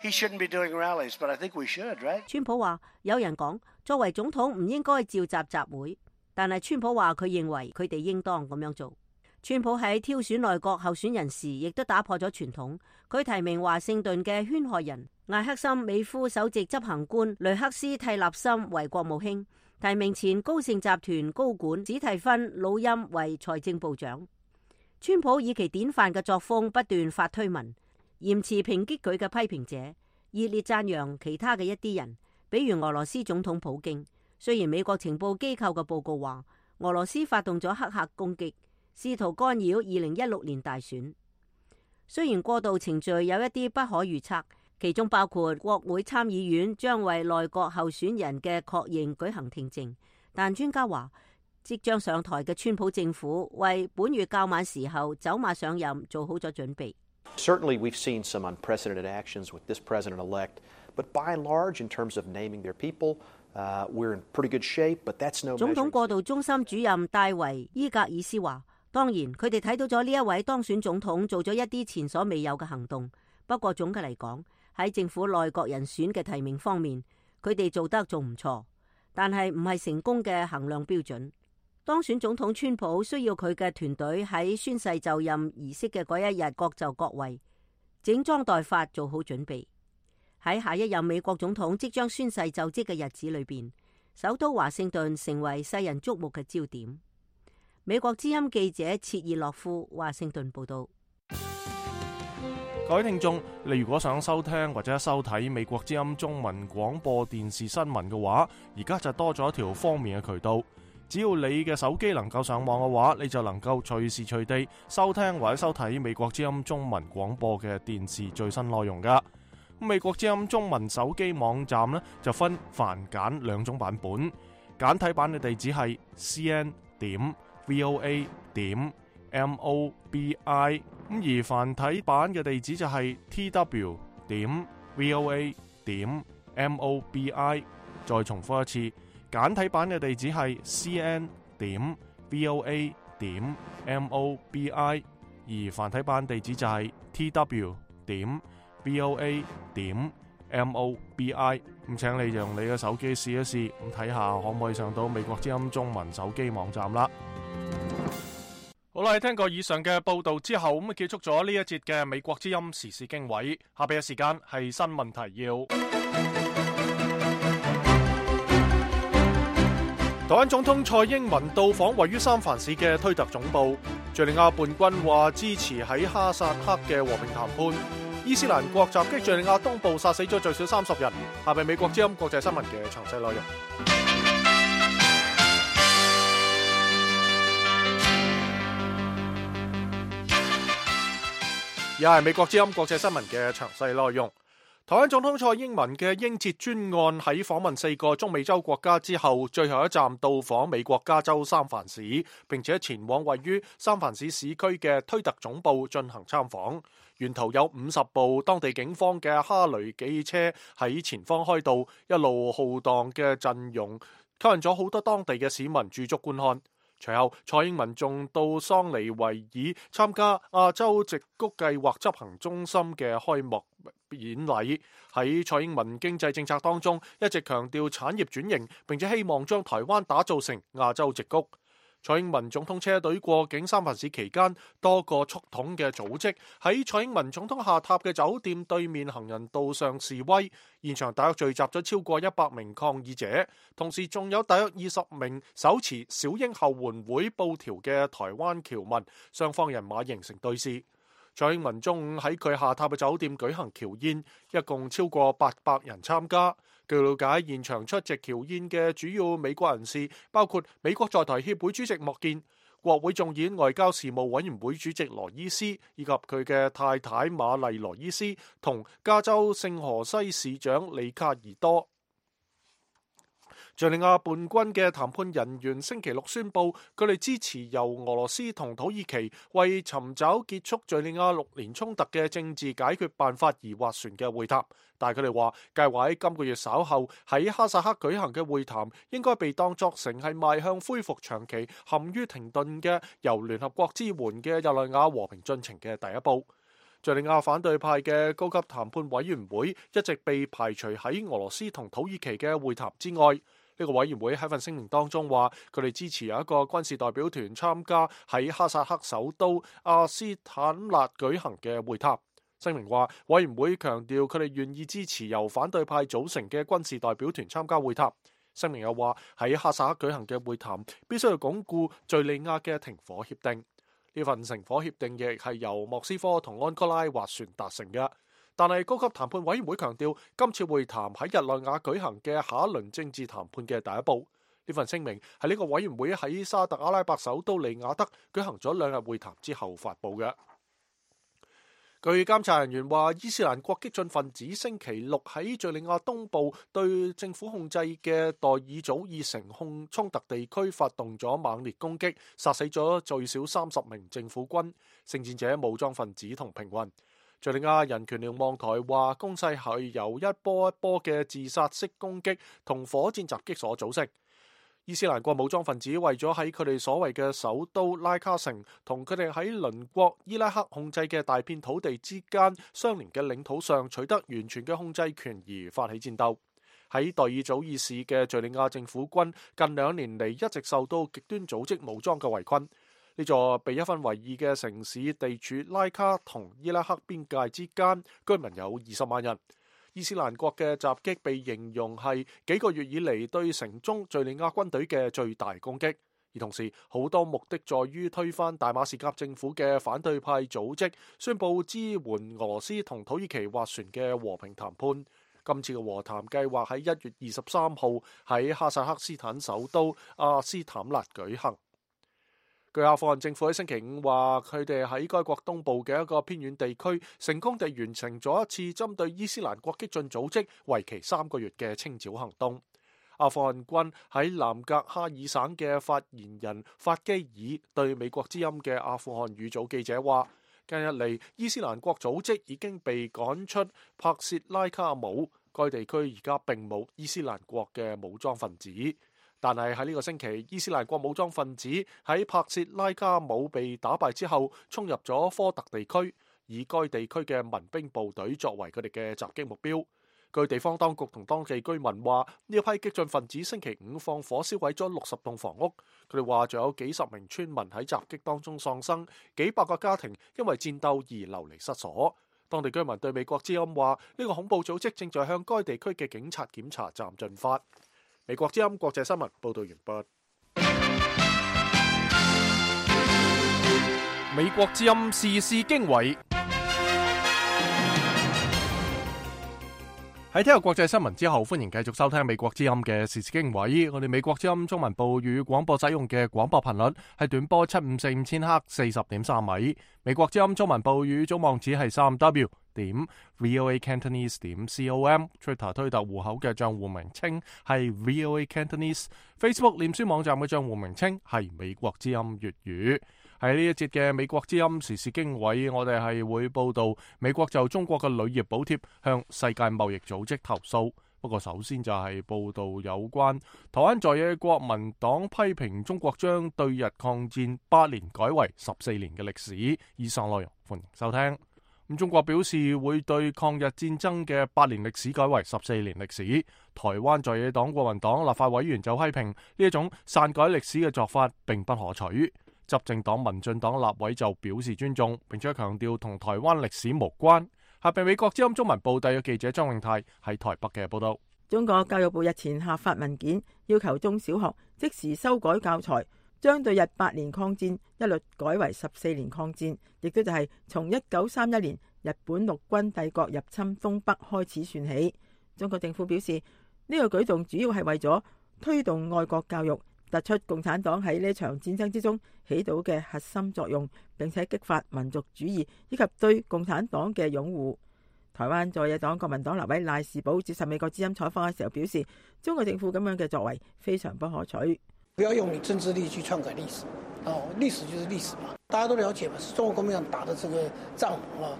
he shouldn't be doing rallies, but I think we should, right? 川普話：有人講作為總統唔應該召集集會，但係川普話佢認為佢哋應當咁樣做。川普喺挑選內閣候選人時，亦都打破咗傳統。佢提名華盛頓嘅圈害人艾克森美孚首席執行官雷克斯蒂納森為國務卿，提名前高盛集團高管史蒂芬魯欽為財政部長。川普以其典範嘅作風不斷發推文，嚴詞抨擊佢嘅批評者，熱烈讚揚其他嘅一啲人，比如俄羅斯總統普京。雖然美國情報機構嘅報告話俄羅斯發動咗黑客攻擊，試圖干擾二零一六年大選。雖然過渡程序有一啲不可預測，其中包括國會參議院將為內閣候選人嘅確認舉行聽證，但專家話即將上台嘅川普政府為本月較晚時候走馬上任做好咗準備。Certainly we've seen some unprecedented actions with this president-elect, but by and large in terms of naming their people, uh, we're in pretty good shape, but that's no measure. 總統過渡中心主任戴維伊格爾斯話，當然佢哋睇到咗呢一位當選總統做咗一啲前所未有嘅行動，不過總嘅嚟講，喺政府內閣人選嘅提名方面，佢哋做得仲唔錯，但係唔係成功嘅衡量標準。當選總統川普需要佢嘅團隊喺宣誓就任儀式嘅嗰一日各就各位，整裝待發做好準備。喺下一任美國總統即將宣誓就職嘅日子裏邊，首都華盛頓成為世人矚目嘅焦點。美國之音記者切爾諾夫華盛頓報道。各位聽眾，你如果想收聽或者收睇美國之音中文廣播電視新聞嘅話，而家就多咗一條方便嘅渠道。只要你嘅手機能夠上網嘅話，你就能夠隨時隨地收聽或者收睇美國之音中文廣播嘅電視最新內容噶。美國之音中文手機網站呢，就分繁簡兩種版本，簡體版嘅地址係 c n 點 v o a 點 m o b i， 咁而繁體版嘅地址就係 t w 點 v o a 點 m o b i。再重複一次，簡體版嘅地址係 c n 點 v o a 點 mobi， 而繁體版地址就係 tw 點 voa 點 mobi。咁請你用你嘅手機試一試，咁睇下可唔可以上到美國之音中文手機網站啦。好啦，聽過以上嘅報道之後，咁結束咗呢一節嘅美國之音時事經緯。下邊嘅時間係新聞提要。台灣總統蔡英文到訪位於三藩市嘅推特總部。敘利亞叛軍話支持喺哈薩克嘅和平談判。伊斯蘭國襲擊敘利亞東部，殺死咗最少三十人。下邊美國之音國際新聞嘅詳細內容。而係美國之音國際新聞嘅詳細內容。台灣總統蔡英文嘅英捷專案喺訪問四個中美洲國家之後，最後一站到訪美國加州三藩市，並且前往位於三藩市市區嘅推特總部進行參訪。沿途有五十部當地警方嘅哈雷機車喺前方開道，一路浩蕩嘅陣容吸引咗好多當地嘅市民駐足觀看。隨後，蔡英文仲到桑尼維爾參加亞洲矽谷計劃執行中心嘅開幕演禮。喺蔡英文經濟政策當中，一直強調產業轉型，並且希望將台灣打造成亞洲矽谷。蔡英文總統車隊過境三藩市期間，多個促統嘅組織喺蔡英文總統下榻嘅酒店對面行人道上示威，現場大約聚集咗超過一百名抗議者，同時仲有大約二十名手持小英後援會布條嘅台灣僑民，雙方人馬形成對視。蔡英文中午喺佢下榻嘅酒店舉行僑宴，一共超過八百人參加。據了解，現場出席僑宴嘅主要美國人士包括美國在台協會主席莫健、國會眾議外交事務委員會主席羅伊斯，以及佢嘅太太瑪麗羅伊斯同加州聖荷西市長里卡爾多。敘利亞叛軍嘅談判人員星期六宣布，佢哋支持由俄羅斯同土耳其為尋找結束敘利亞六年衝突嘅政治解決辦法而斡旋嘅會談。但係佢哋話，計劃喺今個月稍後喺哈薩克舉行嘅會談，應該被當作成係邁向恢復長期陷於停頓嘅由聯合國支援嘅日內瓦和平進程嘅第一步。敘利亞反對派嘅高級談判委員會一直被排除喺俄羅斯同土耳其嘅會談之外。呢個委員會喺份聲明當中話，佢哋支持有一個軍事代表團參加喺哈薩克首都阿斯坦納舉行嘅會談。聲明話，委員會強調佢哋願意支持由反對派組成嘅軍事代表團參加會談。聲明又話，喺哈薩克舉行嘅會談必須要鞏固敘利亞嘅停火協定。呢份停火協定亦係由莫斯科同安哥拉斡旋達成嘅。但係高級談判委員會強調，今次會談喺日內瓦舉行嘅下一輪政治談判嘅第一步。呢份聲明係呢個委員會喺沙特阿拉伯首都利雅得舉行咗兩日會談之後發布嘅。據監察人員話，伊斯蘭國激進分子星期六喺敘利亞東部對政府控制嘅代爾祖爾城控衝突地區發動咗猛烈攻擊，殺死咗最少三十名政府軍、聖戰者、武裝分子同平民。敘利亞人權瞭望台話，攻勢係由一波一波嘅自殺式攻擊同火箭襲擊所組成。伊斯蘭國武裝分子為咗喺佢哋所謂嘅首都拉卡城同佢哋喺鄰國伊拉克控制嘅大片土地之間相連嘅領土上取得完全嘅控制權而發起戰鬥。喺代爾祖爾市嘅敘利亞政府軍近兩年嚟一直受到極端組織武裝嘅圍困。呢座被一分為二嘅城市地處拉卡同伊拉克邊界之間，居民有二十萬人。伊斯蘭國嘅襲擊被形容係幾個月以嚟對城中敘利亞軍隊嘅最大攻擊，而同時好多目的在於推翻大馬士革政府嘅反對派組織宣布支援俄羅斯同土耳其斡旋嘅和平談判。今次嘅和談計劃喺一月二十三號喺哈薩克斯坦首都阿斯坦納舉行。據阿富汗政府喺星期五話，佢哋喺該國東部嘅一個偏遠地區成功地完成咗一次針對伊斯蘭國激進組織為期三個月嘅清剿行動。阿富汗軍喺南格哈爾省嘅發言人法基爾對美國之音嘅阿富汗語組記者話，近日嚟伊斯蘭國組織已經被趕出帕薛拉卡姆，該地區而家並冇伊斯蘭國嘅武裝分子。但係喺呢個星期，伊斯蘭國武裝分子喺帕切拉加姆被打敗之後，衝入咗科特地區，以該地區嘅民兵部隊作為佢哋嘅襲擊目標。據地方當局同當地居民話，呢一批激進分子星期五放火燒毀咗六十棟房屋。佢哋話仲有幾十名村民喺襲擊當中喪生，幾百個家庭因為戰鬥而流離失所。當地居民對美國之音話，呢個恐怖組織正在向該地區嘅警察檢查站進發。美國之音國際新聞報道完畢。美國之音時事經緯。喺聽日國際新聞之後，歡迎繼續收聽美國之音嘅時事經緯。我哋美國之音中文部語廣播使用嘅廣播頻率係短波七五四五千赫四十點三米。美國之音中文部語總網址係三 w 點 voa cantonese 點 com。Twitter 推特戶口嘅賬戶名稱係 voa cantonese。Facebook 臉書網站嘅賬戶名稱係美國之音粵語。喺呢一節嘅美國之音時事經緯，我哋係會報道美國就中國嘅鋁業補貼向世界貿易組織投訴。不過首先就係報道有關台灣在野國民黨批評中國將對日抗戰八年改為十四年嘅歷史。以上內容歡迎收聽。咁中國表示會對抗日戰爭嘅八年歷史改為十四年歷史。台灣在野黨國民黨立法委員就批評呢一種篡改歷史嘅做法並不可取。執政黨民進黨立委就表示尊重，並且強調同台灣歷史無關。下邊美國之音中文部特約記者張永泰喺台北嘅報道。中國教育部日前下發文件，要求中小學即時修改教材，將對日八年抗戰一律改為十四年抗戰，亦都就係從一九三一年日本陸軍帝國入侵東北開始算起。中國政府表示，呢個舉動主要係為咗推動愛國教育，突出共產黨喺呢場戰爭之中起到嘅核心作用，並且激發民族主義以及對共產黨嘅擁護。台灣在野黨國民黨立委賴士葆接受美國之音採訪嘅時候表示，中國政府咁樣嘅作為非常不可取。不要用你政治力去篡改歷史，哦，歷史就是歷史嘛，大家都了解嘛，是中國國民黨打的這個仗啊。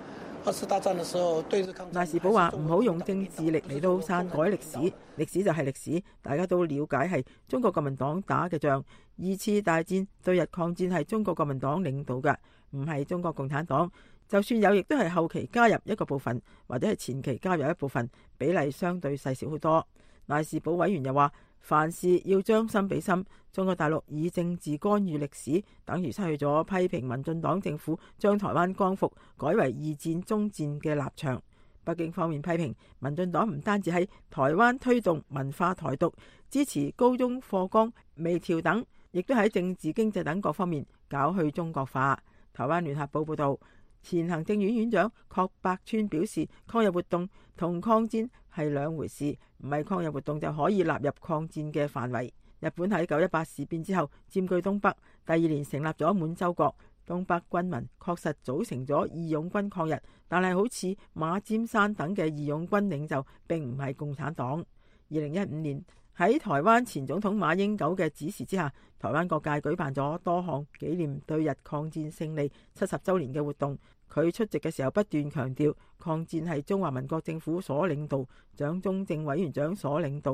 二次大戰的時候，對日抗戰。賴士葆話唔好用政治力嚟到篡改歷史，歷史就係歷史，大家都了解係中國國民黨打嘅仗。二次大戰對日抗戰係中國國民黨領導嘅，唔係中國共產黨。就算有，亦都係後期加入一個部分，或者係前期加入一部分，比例相對細小好多。賴士葆委員又話，凡事要將心比心，中國大陸以政治干預歷史，等於失去咗批評民進黨政府將台灣光復改為二戰終戰嘅立場。北京方面批評民進黨唔單止喺台灣推動文化台獨，支持高中課綱微調等，亦都喺政治經濟等各方面搞去中國化。台灣聯合報報道，前行政院院長郝柏村表示，抗日活動同抗戰係兩回事，唔係抗日活動就可以納入抗戰嘅範圍。日本喺九一八事變之後佔據東北，第二年成立咗滿洲國，東北軍民確實組成咗義勇軍抗日，但係好似馬占山等嘅義勇軍領袖並唔係共產黨。二零一五年喺台灣前總統馬英九嘅指示之下，台灣各界舉辦咗多項紀念對日抗戰勝利七十週年嘅活動。佢出席嘅時候不斷強調，抗戰係中華民國政府所領導，蔣中正委員長所領導，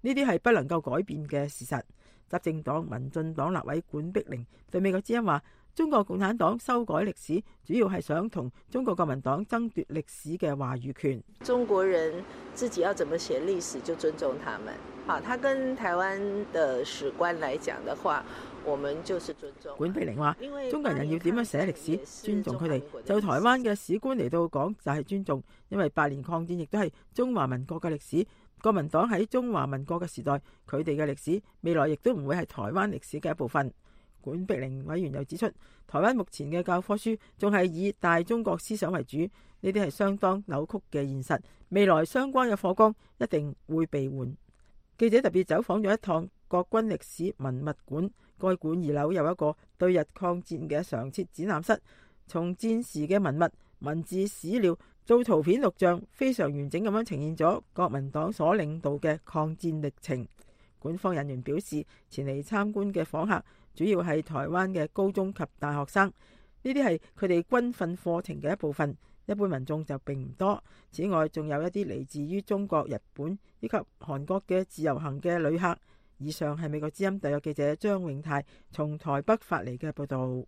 呢啲係不能夠改變嘅事實。執政黨民進黨立委管碧玲對美國之音話，中國共產黨修改歷史，主要係想同中國國民黨爭奪歷史嘅話語權。中國人自己要怎麼寫歷史，就尊重他們。好，他跟台灣的史官來講的話，我們就是尊重。管碧玲話，中國人要點樣寫歷史，尊重佢哋。就台灣嘅史官嚟到講就係尊重，因為八年抗戰亦都係中華民國嘅歷史。國民黨喺中華民國嘅時代，佢哋嘅歷史未來亦都唔會係台灣歷史嘅一部分。管碧玲委員又指出，台灣目前嘅教科書仲係以大中國思想為主，呢啲係相當扭曲嘅現實。未來相關嘅課綱一定會被換。記者特別走訪咗一趟國軍歷史文物館，該館二樓有一個對日抗戰嘅常設展覽室，從戰時嘅文物、文字、史料做圖片錄像，非常完整咁樣呈現咗國民黨所領導嘅抗戰歷程。館方人員表示，前嚟參觀嘅訪客主要係台灣嘅高中及大學生，呢啲係佢哋軍訓課程嘅一部分，一般民眾就並唔多。此外，仲有一啲嚟自於中國、日本以及韓國嘅自由行嘅旅客，而以上係美國之音特約記者張永泰從台北發嚟嘅報道。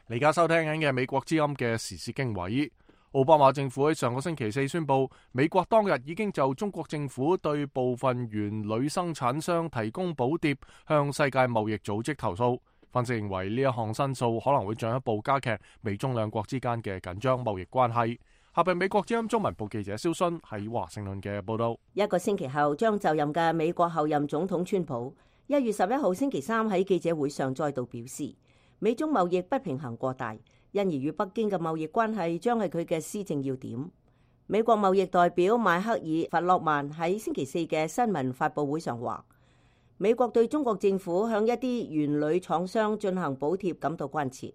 你而家收聽緊嘅美國之音嘅時事經緯。奧巴馬政府喺上個星期四宣布，美國當日已經就中國政府對部分原鋁生產商提供補貼向世界貿易組織投訴。分析認為呢一項申訴可能會進一步加劇美中兩國之間嘅緊張貿易關係。下邊美國之音中文部記者蕭勳喺華盛頓嘅報道。一個星期後將就任嘅美國候任總統川普，一月十一號星期三喺記者會上再度表示，美中貿易不平衡過大，因而與北京嘅貿易關係將係佢嘅施政要點。美國貿易代表邁克爾·弗洛曼喺星期四嘅新聞發佈會上話，美國對中國政府向一啲原鋁廠商進行補貼感到關切。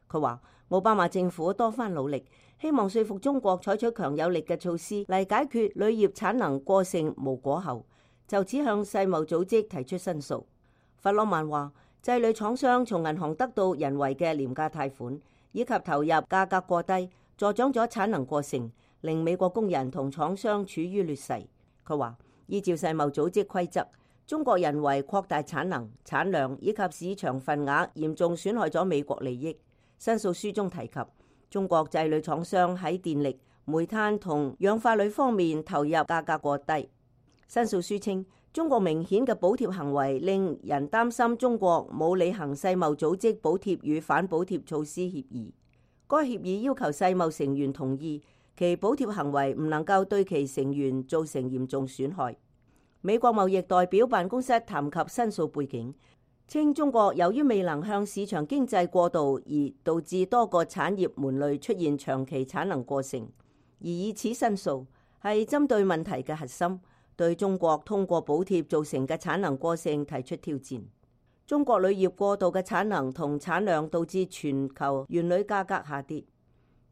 佢話奧巴馬政府多番努力，希望說服中國採取強有力嘅措施嚟解決鋁業產能過剩無果後，就此向世貿組織提出申訴。弗洛曼話，製鋁廠商從銀行得到人為嘅廉價貸款，以及投入價格過低，助長咗產能過剩，令美國工人同廠商處於劣勢。佢話依照世貿組織規則，中國人為擴大產能、產量以及市場份額，嚴重損害咗美國利益。申訴書中提及，中國製鋁廠商喺電力、煤炭同氧化鋁方面投入價格過低。申訴書稱，中國明顯嘅補貼行為令人擔心中國冇履行世貿組織補貼與反補貼措施協議。該協議要求世貿成員同意其補貼行為唔能夠對其成員造成嚴重損害。美國貿易代表辦公室談及申訴背景，稱中國由於未能向市場經濟過渡，而導致多個產業門類出現長期產能過剩，而以此申訴係針對問題嘅核心，對中國通過補貼造成嘅產能過剩提出挑戰。中國鋁業過度嘅產能同產量導致全球原鋁價格下跌，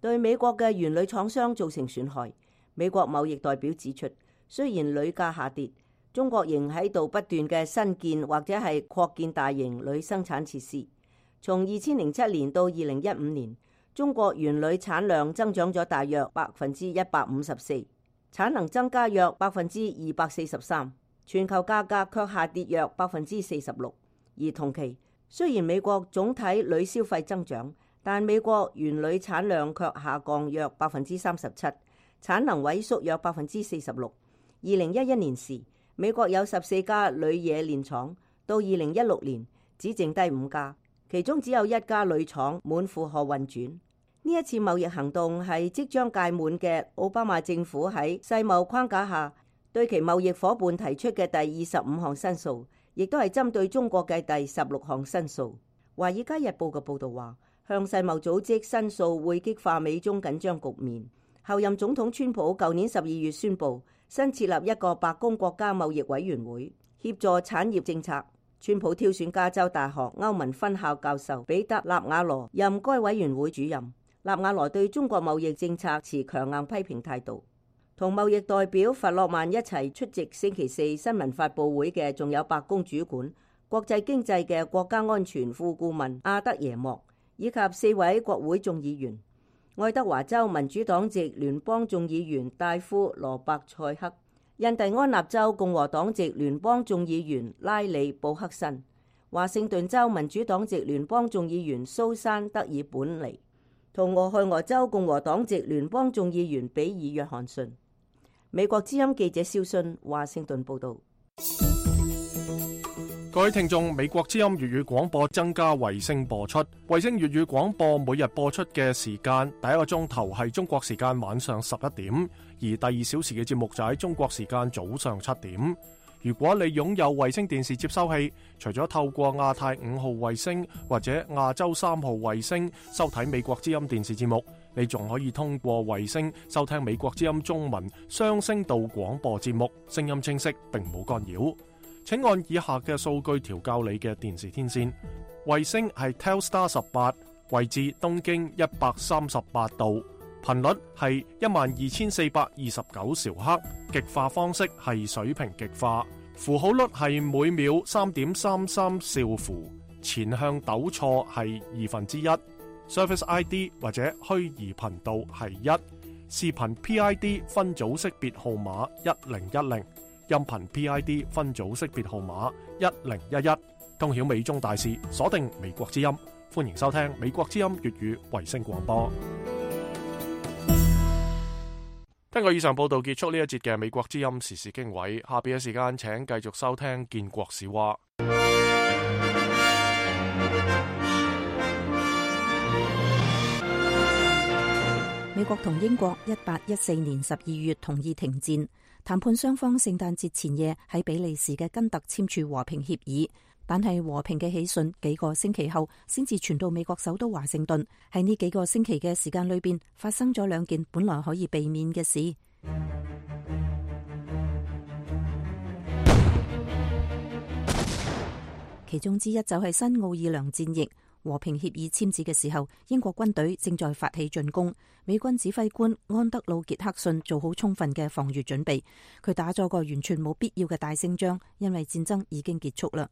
對美國嘅原鋁廠商造成損害。美國貿易代表指出，雖然鋁價下跌，中國仍喺度不斷嘅新建或者係擴建大型鋁生產設施。從二千零七年到二零一五年，中國原鋁產量增長咗大約百分之一百五十四，產能增加約百分之二百四十三，全球價格卻下跌約百分之四十六。而同期，雖然美國總體鋁消費增長，但美國原鋁產量卻下降約百分之三十七，產能萎縮約百分之四十六。二零一一年時，美國有十四家鋁冶煉廠，到二零一六年只剩低五家，其中只有一家鋁廠滿負荷運轉。呢一次貿易行動係即將屆滿嘅奧巴馬政府喺世貿框架下對其貿易夥伴提出嘅第二十五項申訴，亦都係針對中國嘅第十六項申訴。華爾街日報嘅報導話，向世貿組織申訴會激化美中緊張局面。後任總統川普舊年十二月宣布新設立一個白宮國家貿易委員會，協助產業政策。川普挑選加州大學歐盟分校教授彼得納瓦羅任該委員會主任。納瓦羅對中國貿易政策持強硬批評態度。同貿易代表弗洛曼一齊出席星期四新聞發佈會嘅，仲有白宮主管國際經濟嘅國家安全副顧問阿德耶莫，以及四位國會眾議員。愛德華州民主黨籍聯邦眾議員戴夫羅伯塞克，印第安納州共和黨籍聯邦眾議員拉里布克森，華盛頓州民主黨籍聯邦眾議員蘇珊德爾本尼，同俄亥俄州共和黨籍聯邦眾議員比爾約翰遜。美國之音記者蕭信華盛頓報道。各位聽眾，美國之音粵語廣播增加衛星播出。衛星粵語廣播每日播出嘅時間，第一個鐘頭係中國時間晚上十一點，而第二小時嘅節目就喺中國時間早上七點。如果你擁有衛星電視接收器，除咗透過亞太五號衛星或者亞洲三號衛星收睇美國之音電視節目，你仲可以通過衛星收聽美國之音中文雙聲道廣播節目，聲音清晰並冇干擾。請按以下嘅數據調校你嘅電視天線。衛星係 Telstar 十八，位置東經一百三十八度，頻率係一萬二千四百二十九兆赫，極化方式係水平極化，符號率係每秒三點三三兆符，前向抖錯係二分之一，Service I D 或者虛擬頻道係一。視頻 P I D 分組識別號碼一零一零，音頻 P I D 分組識別號碼一零一一。通曉美中大事，鎖定美國之音。歡迎收聽美國之音粵語衛星廣播。聽過以上報道，結束呢一節嘅美國之音時事經緯。下邊嘅時間，請繼續收聽建國史話。美國同英國一八一四年十二月同意停戰，談判雙方聖誕節前夜喺比利時嘅根特簽署和平協議，但係和平嘅喜訊幾個星期後先至傳到美國首都華盛頓。喺呢幾個星期嘅時間裏邊，發生咗兩件本來可以避免嘅事，其中之一就係新奧爾良戰役。和平協議簽字嘅時候，英國軍隊正在發起進攻。美軍指揮官安德魯傑克遜做好充分嘅防禦準備，佢打咗個完全冇必要嘅大勝仗，因為戰爭已經結束啦。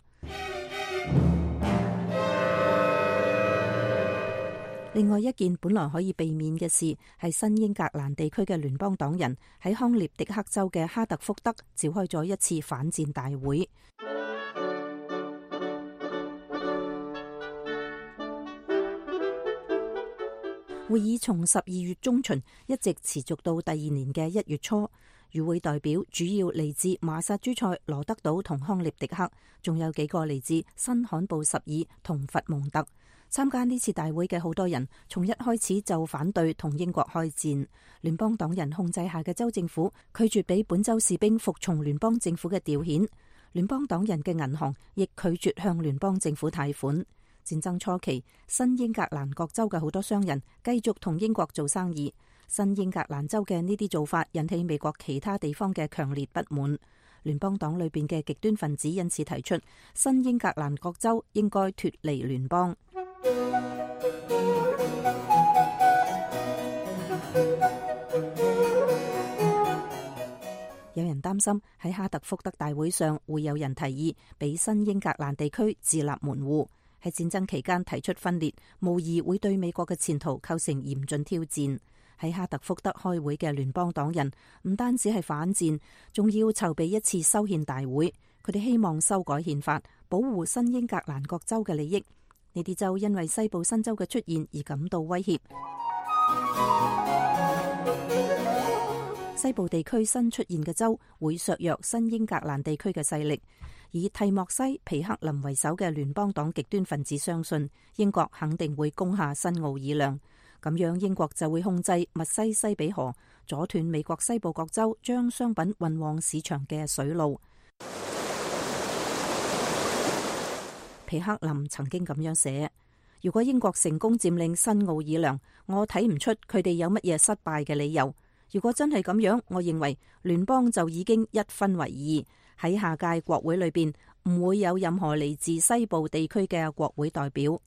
另外一件本來可以避免嘅事，係新英格蘭地區嘅聯邦黨人喺康涅狄克州嘅哈特福德召開咗一次反戰大會。會議從十二月中旬一直持續到第二年嘅一月初。與會代表主要嚟自馬薩諸塞、羅德島同康涅狄克，仲有幾個嚟自新罕布什爾同佛蒙特。參加呢次大會嘅好多人，從一開始就反對同英國開戰。聯邦黨人控制下嘅州政府拒絕俾本州士兵服從聯邦政府嘅調遣，聯邦黨人嘅銀行亦拒絕向聯邦政府貸款。戰爭初期，新英格蘭各州嘅好多商人繼續同英國做生意。新英格蘭州嘅呢啲做法引起美國其他地方嘅強烈不滿。聯邦黨裏邊嘅極端分子因此提出，新英格蘭各州應該脫離聯邦。有人擔心喺哈特福德大會上會有人提議俾新英格蘭地區自立門戶。喺戰爭期間提出分裂，無疑會對美國嘅前途構成嚴峻挑戰。喺哈特福德開會嘅聯邦黨人唔單止係反戰，仲要籌備一次修憲大會。佢哋希望修改憲法，保護新英格蘭各州嘅利益。呢啲州因為西部新州嘅出現而感到威脅。西部地區新出現嘅州會削弱新英格蘭地區嘅勢力。以蒂莫西、皮克林為首嘅聯邦黨極端分子相信，英國肯定會攻下新奧爾良，咁樣英國就會控制密西西比河，阻斷美國西部各州將商品運往市場嘅水路。皮克林曾經咁樣寫：如果英國成功佔領新奧爾良，我睇唔出佢哋有乜嘢失敗嘅理由。如果真係咁樣，我認為聯邦就已經一分為二。喺下屆國會裏邊唔會有任何嚟自西部地區嘅國會代表。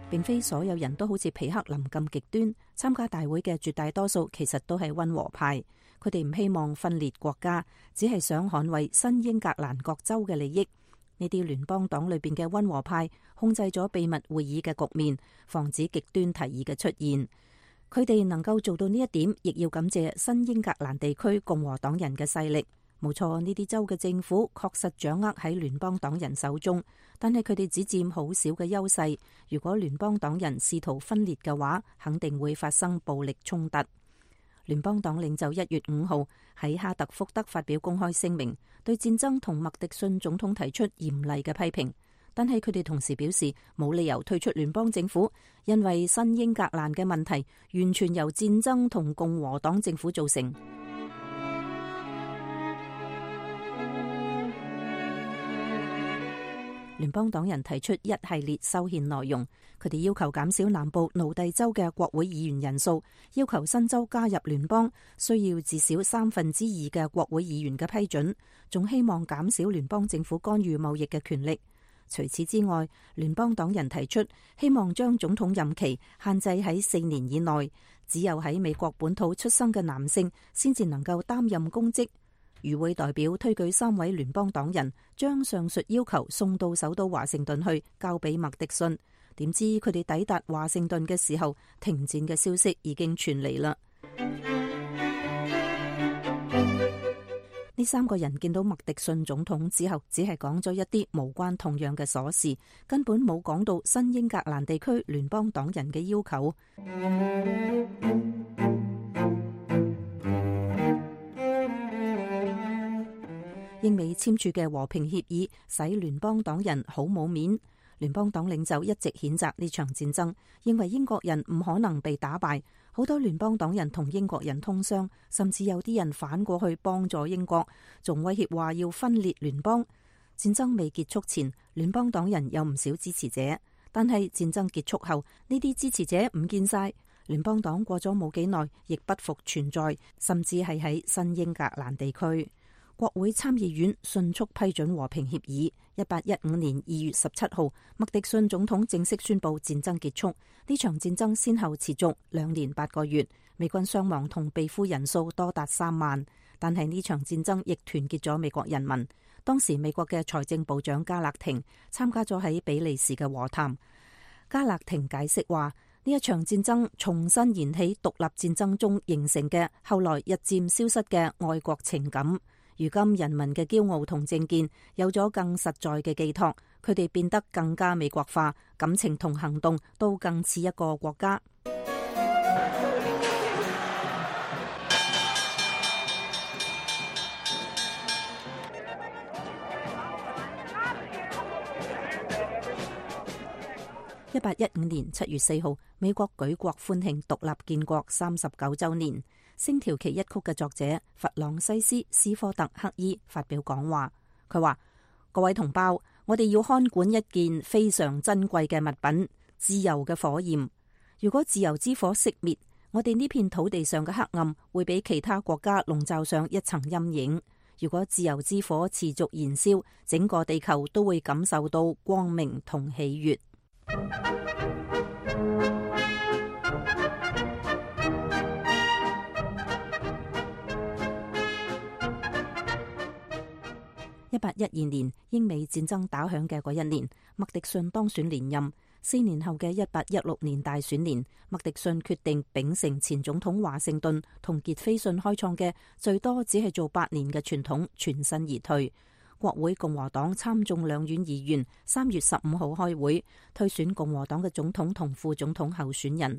並非所有人都好似皮克林咁極端，參加大會嘅絕大多數其實都係溫和派。佢哋唔希望分裂國家，只係想捍衛新英格蘭各州嘅利益。呢啲聯邦黨裏邊嘅溫和派控制咗秘密會議嘅局面，防止極端提議嘅出現。佢哋能夠做到呢一點，亦要感謝新英格蘭地區共和黨人嘅勢力。冇錯，呢啲州嘅政府確實掌握喺聯邦黨人手中，但係佢哋只佔好少嘅優勢。如果聯邦黨人試圖分裂嘅話，肯定會發生暴力衝突。聯邦黨領袖一月五號喺哈特福德發表公開聲明，對戰爭同麥迪遜總統提出嚴厲嘅批評，但係佢哋同時表示冇理由退出聯邦政府，因為新英格蘭嘅問題完全由戰爭同共和黨政府造成。聯邦黨人提出一系列修憲內容，佢哋要求減少南部奴隸州嘅國會議員人數，要求新州加入聯邦需要至少三分之二嘅國會議員嘅批准，仲希望減少聯邦政府干預貿易嘅權力。除此之外，聯邦黨人提出希望將總統任期限制喺四年以內，只有喺美國本土出生嘅男性先至能夠擔任公職。與會代表推舉三位聯邦黨人將上述要求送到首都華盛頓去，交俾麥迪遜。點知佢哋抵達華盛頓嘅時候，停戰嘅消息已經傳嚟啦。呢三個人見到麥迪遜總統之後，只係講咗一啲無關痛癢嘅瑣事，根本冇講到新英格蘭地區聯邦黨人嘅要求。英美簽署嘅和平協議使聯邦黨人好冇面。聯邦黨領袖一直譴責呢場戰爭，認為英國人唔可能被打敗。好多聯邦黨人同英國人通商，甚至有啲人反過去幫助英國，仲威脅話要分裂聯邦。戰爭未結束前，聯邦黨人有唔少支持者，但係戰爭結束後，呢啲支持者唔見晒。聯邦黨過咗冇幾耐，亦不復存在，甚至係喺新英格蘭地區。國會參議院迅速批准和平協議。一八一五年二月十七號，麥迪遜總統正式宣布戰爭結束。呢場戰爭先後持續兩年八個月，美軍傷亡同被俘人數多達三萬。但係呢場戰爭亦團結咗美國人民。當時美國嘅財政部長加勒廷參加咗喺比利時嘅和談。加勒廷解釋話，呢一場戰爭重新燃起獨立戰爭中形成嘅後來日漸消失嘅愛國情感。如今人民嘅驕傲同政見有咗更實在嘅寄託，佢哋變得更加美國化，感情同行動都更似一個國家。一八一五年七月四號，美國舉國歡慶獨立建國三十九週年。星條旗一曲嘅作者弗朗西斯·斯科特克伊發表講話，佢話：各位同胞，我哋要看管一件非常珍貴嘅物品——自由嘅火焰。如果自由之火熄滅，我哋呢片土地上嘅黑暗會俾其他國家籠罩上一層陰影。如果自由之火持續燃燒，整個地球都會感受到光明同喜悅。一八一二年，英美戰爭打響嘅嗰一年，麥迪遜當選連任。四年後嘅一八一六年大選年，麥迪遜決定秉承前總統華盛頓同傑斐遜開創嘅最多只係做八年嘅傳統，全身而退。國會共和黨參眾兩院議員三月十五號開會，推選共和黨嘅總統同副總統候選人。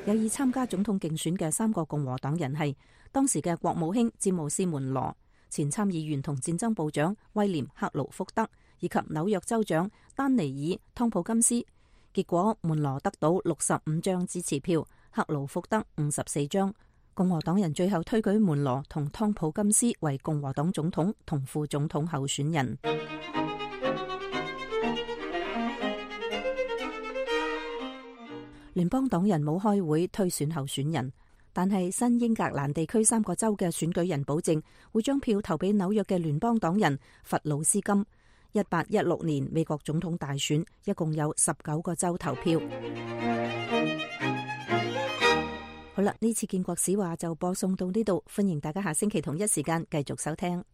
有意參加總統競選嘅三個共和黨人係當時嘅國務卿詹姆斯門羅、前參議員同戰爭部長威廉克勞福德以及紐約州長丹尼爾湯普金斯。結果門羅得到六十五張支持票，克勞福德五十四張。共和黨人最後推舉門羅同湯普金斯為共和黨總統同副總統候選人。聯邦黨人冇開會推選候選人，但係新英格蘭地區三個州嘅選舉人保證會將票投俾紐約嘅聯邦黨人弗魯斯金。一八一六年美國總統大選一共有十九個州投票。好啦，呢次建國史話就播送到呢度，歡迎大家下星期同一時間繼續收聽。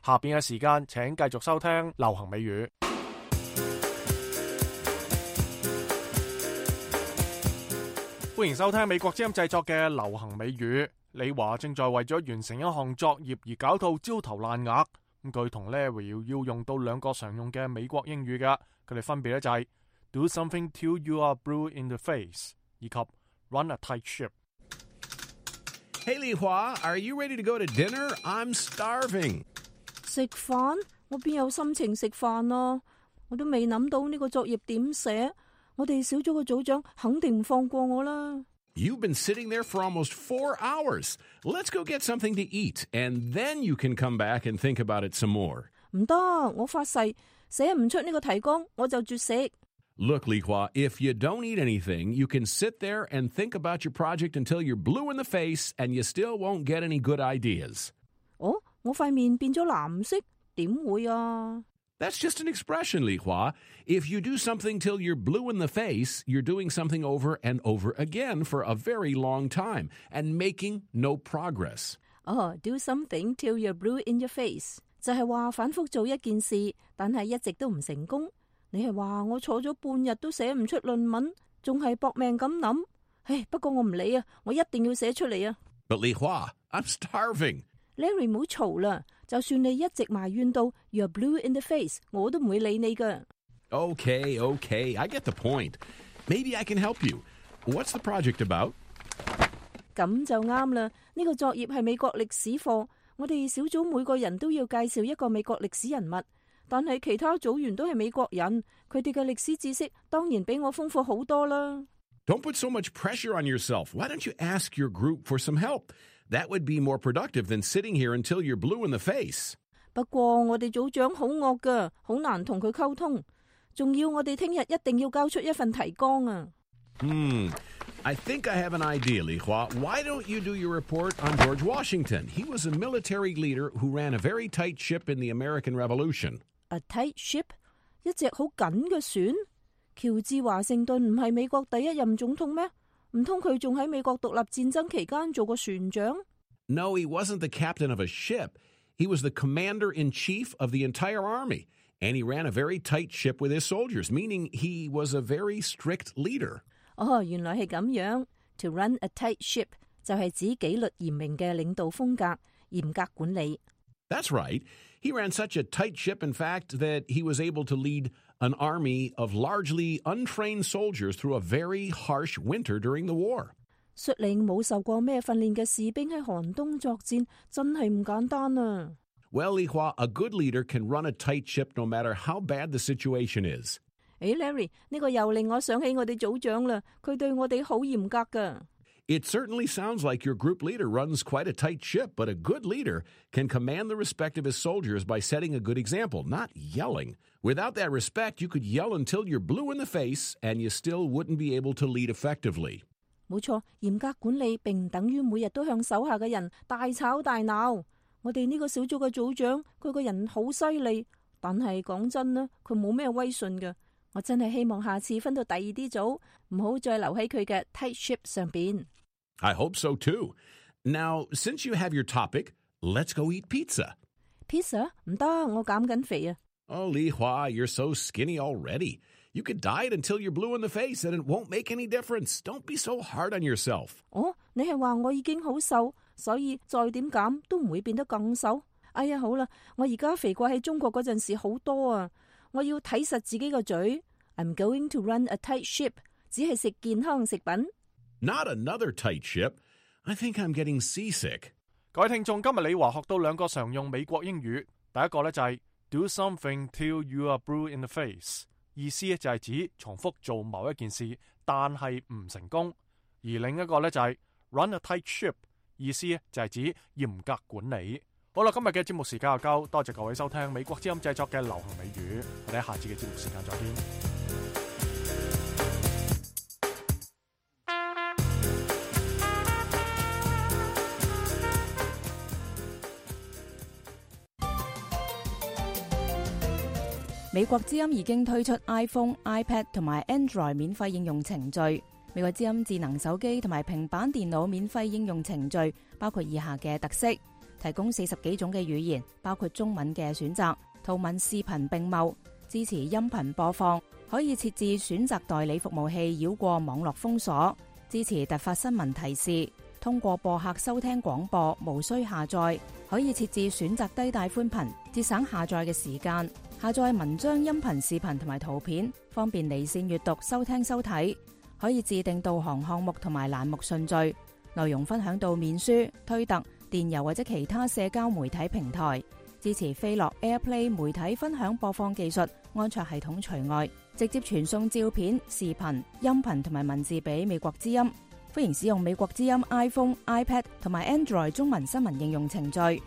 下邊嘅時間，請繼續收聽流行美語。歡迎收聽美國之音製作嘅流行美語。李華正在為咗完成一項作業而搞到焦頭爛額。咁佢同 Larry 要用到兩個常用嘅美國英語㗎，佢哋分別咧就係 Do something till you are blue in the face 以及 Run a tight ship。Hey 李華 are you ready to go to dinner? I'm starving。食飯？我邊有心情食飯啊？我都未諗到呢個作業點寫。我哋小組嘅組長肯定唔放過我啦。You've been sitting there for almost four hours. Let's go get something to eat, and then you can come back and think about it some more. 唔得，我發誓寫唔出呢個提綱，我就絕食。Look, Li Hua, if you don't eat anything, you can sit there and think about your project until you're blue in the face, and you still won't get any good ideas. 哦，我塊面變咗藍色，點會啊？ That's just an expression, Li Hua. If you do something till you're blue in the face, you're doing something over and over again for a very long time and making no progress. 哦、oh, do something till you're blue in your face 就係話反覆做一件事，但係一直都唔成功。你係話我坐咗半日都寫唔出論文，仲係搏命咁諗。唉，不過我唔理啊，我一定要寫出嚟啊。But Li Hua, I'm starving. Larry 唔好嘈啦，就算你一直埋怨到 you're blue in the face， 我都唔會理你噶。Okay, okay, I get the point. Maybe I can help you. What's the project about? 咁就啱啦，呢個作業係美國歷史課，我哋小組每個人都要介紹一個美國歷史人物，但係其他組員都係美國人，佢哋嘅歷史知識當然比我豐富好多啦。Don't put so much pressure on yourself. Why don't you ask your group for some help? That would be more productive than sitting here until you're blue in the face. 不過我哋組長好惡噶，好難同佢溝通，仲要我哋聽日一定要交出一份提綱啊。Hmm, I think I have an idea, Li Hua. Why don't you do your report on George Washington? He was a military leader who ran a very tight ship in the American Revolution. A tight ship? 一隻好緊嘅船？喬治華盛頓唔係美國第一任總統咩？唔通佢仲喺美國獨立戰爭期間做過船長？ No, he wasn't the captain of a ship. He was the commander-in-chief of the entire army. And he ran a very tight ship with his soldiers, meaning he was a very strict leader. 哦，原來係咁樣。To run a tight ship 就係指紀律嚴明嘅領導風格，嚴格管理。That's right. He ran such a tight ship, in fact, that he was able to lead an army of largely untrained soldiers through a very harsh winter during the war. 率領冇受過咩訓練嘅士兵喺寒冬作戰，真係唔簡單啊。Well, Li Hua, a good leader can run a tight ship no matter how bad the situation is. 誒 Larry， 呢個又令我想起我哋組長啦，佢對我哋好嚴格㗎。It certainly sounds like your group leader runs quite a tight ship, but a good leader can command the respect of his soldiers by setting a good example, not yelling. Without that respect, you could yell until you're blue in the face, and you still wouldn't be able to lead effectively. 冇錯，嚴格管理並唔等於每日都向手下嘅人大吵大鬧。我哋呢個小組嘅組長，佢個人好犀利，但係講真啦，佢冇咩威信㗎。我真係希望下次分到第二啲組，唔好再留喺佢嘅 tight ship 上邊。I hope so too. Now, since you have your topic, let's go eat pizza. Pizza? 唔得，我減緊肥啊。Oh, Li Hua, you're so skinny already. You could diet until you're blue in the face and it won't make any difference. Don't be so hard on yourself. 哦，你係話我已經好瘦，所以再點減都唔會變得更瘦？哎呀，好啦，我而家肥過喺中國嗰陣時好多啊！我要睇實自己個嘴。I'm going to run a tight ship， 只係食健康食品。Not another tight ship. I think I'm getting seasick. 各位聽眾，今日李華學到兩個常用美國英語。第一個咧就係 do something till you are blue in the face， 意思就係指重複做某一件事，但係唔成功。而另一個咧就係 run a tight ship， 意思就係指嚴格管理。好啦，今日嘅節目時間又夠，多謝各位收聽美國之音製作嘅流行美語，我哋喺下次嘅節目時間再見。美國之音已經推出 iPhone、iPad 同埋 Android 免費應用程序。美國之音智能手機同埋平板電腦免費應用程序包括以下嘅特色：提供四十幾種嘅語言，包括中文嘅選擇，圖文視頻並茂，支持音頻播放，可以設置選擇代理服務器繞過網絡封鎖，支持突發新聞提示，通過播客收聽廣播，無需下載，可以設置選擇低帶寬頻，節省下載嘅時間。下載文章、音頻、視頻同埋圖片，方便離線閱讀、收聽、收睇。可以自定導航項目同埋欄目順序，內容分享到面書、推特、電郵或者其他社交媒體平台。支持飛樂 AirPlay 媒體分享播放技術，安卓系統除外。直接傳送照片、視頻、音頻同埋文字俾美國之音。歡迎使用美國之音 iPhone、iPad 同埋 Android 中文新聞應用程序。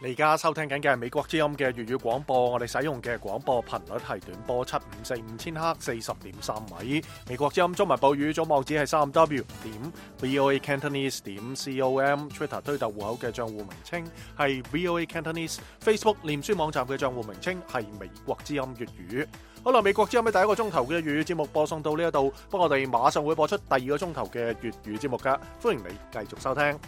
你而家收聽緊嘅係美國之音嘅粵語廣播，我哋使用嘅廣播頻率係短波七五四五千赫四十點三米。美國之音中文報語總網址係三 W 點 VOA Cantonese 點 com，Twitter 推特戶口嘅賬戶名稱係 VOA Cantonese，Facebook 臉書網站嘅賬戶名稱係美國之音粵語。好啦，美國之音嘅第一個鐘頭嘅粵語節目播送到呢一度，不過我哋馬上會播出第二個鐘頭嘅粵語節目噶，歡迎你繼續收聽。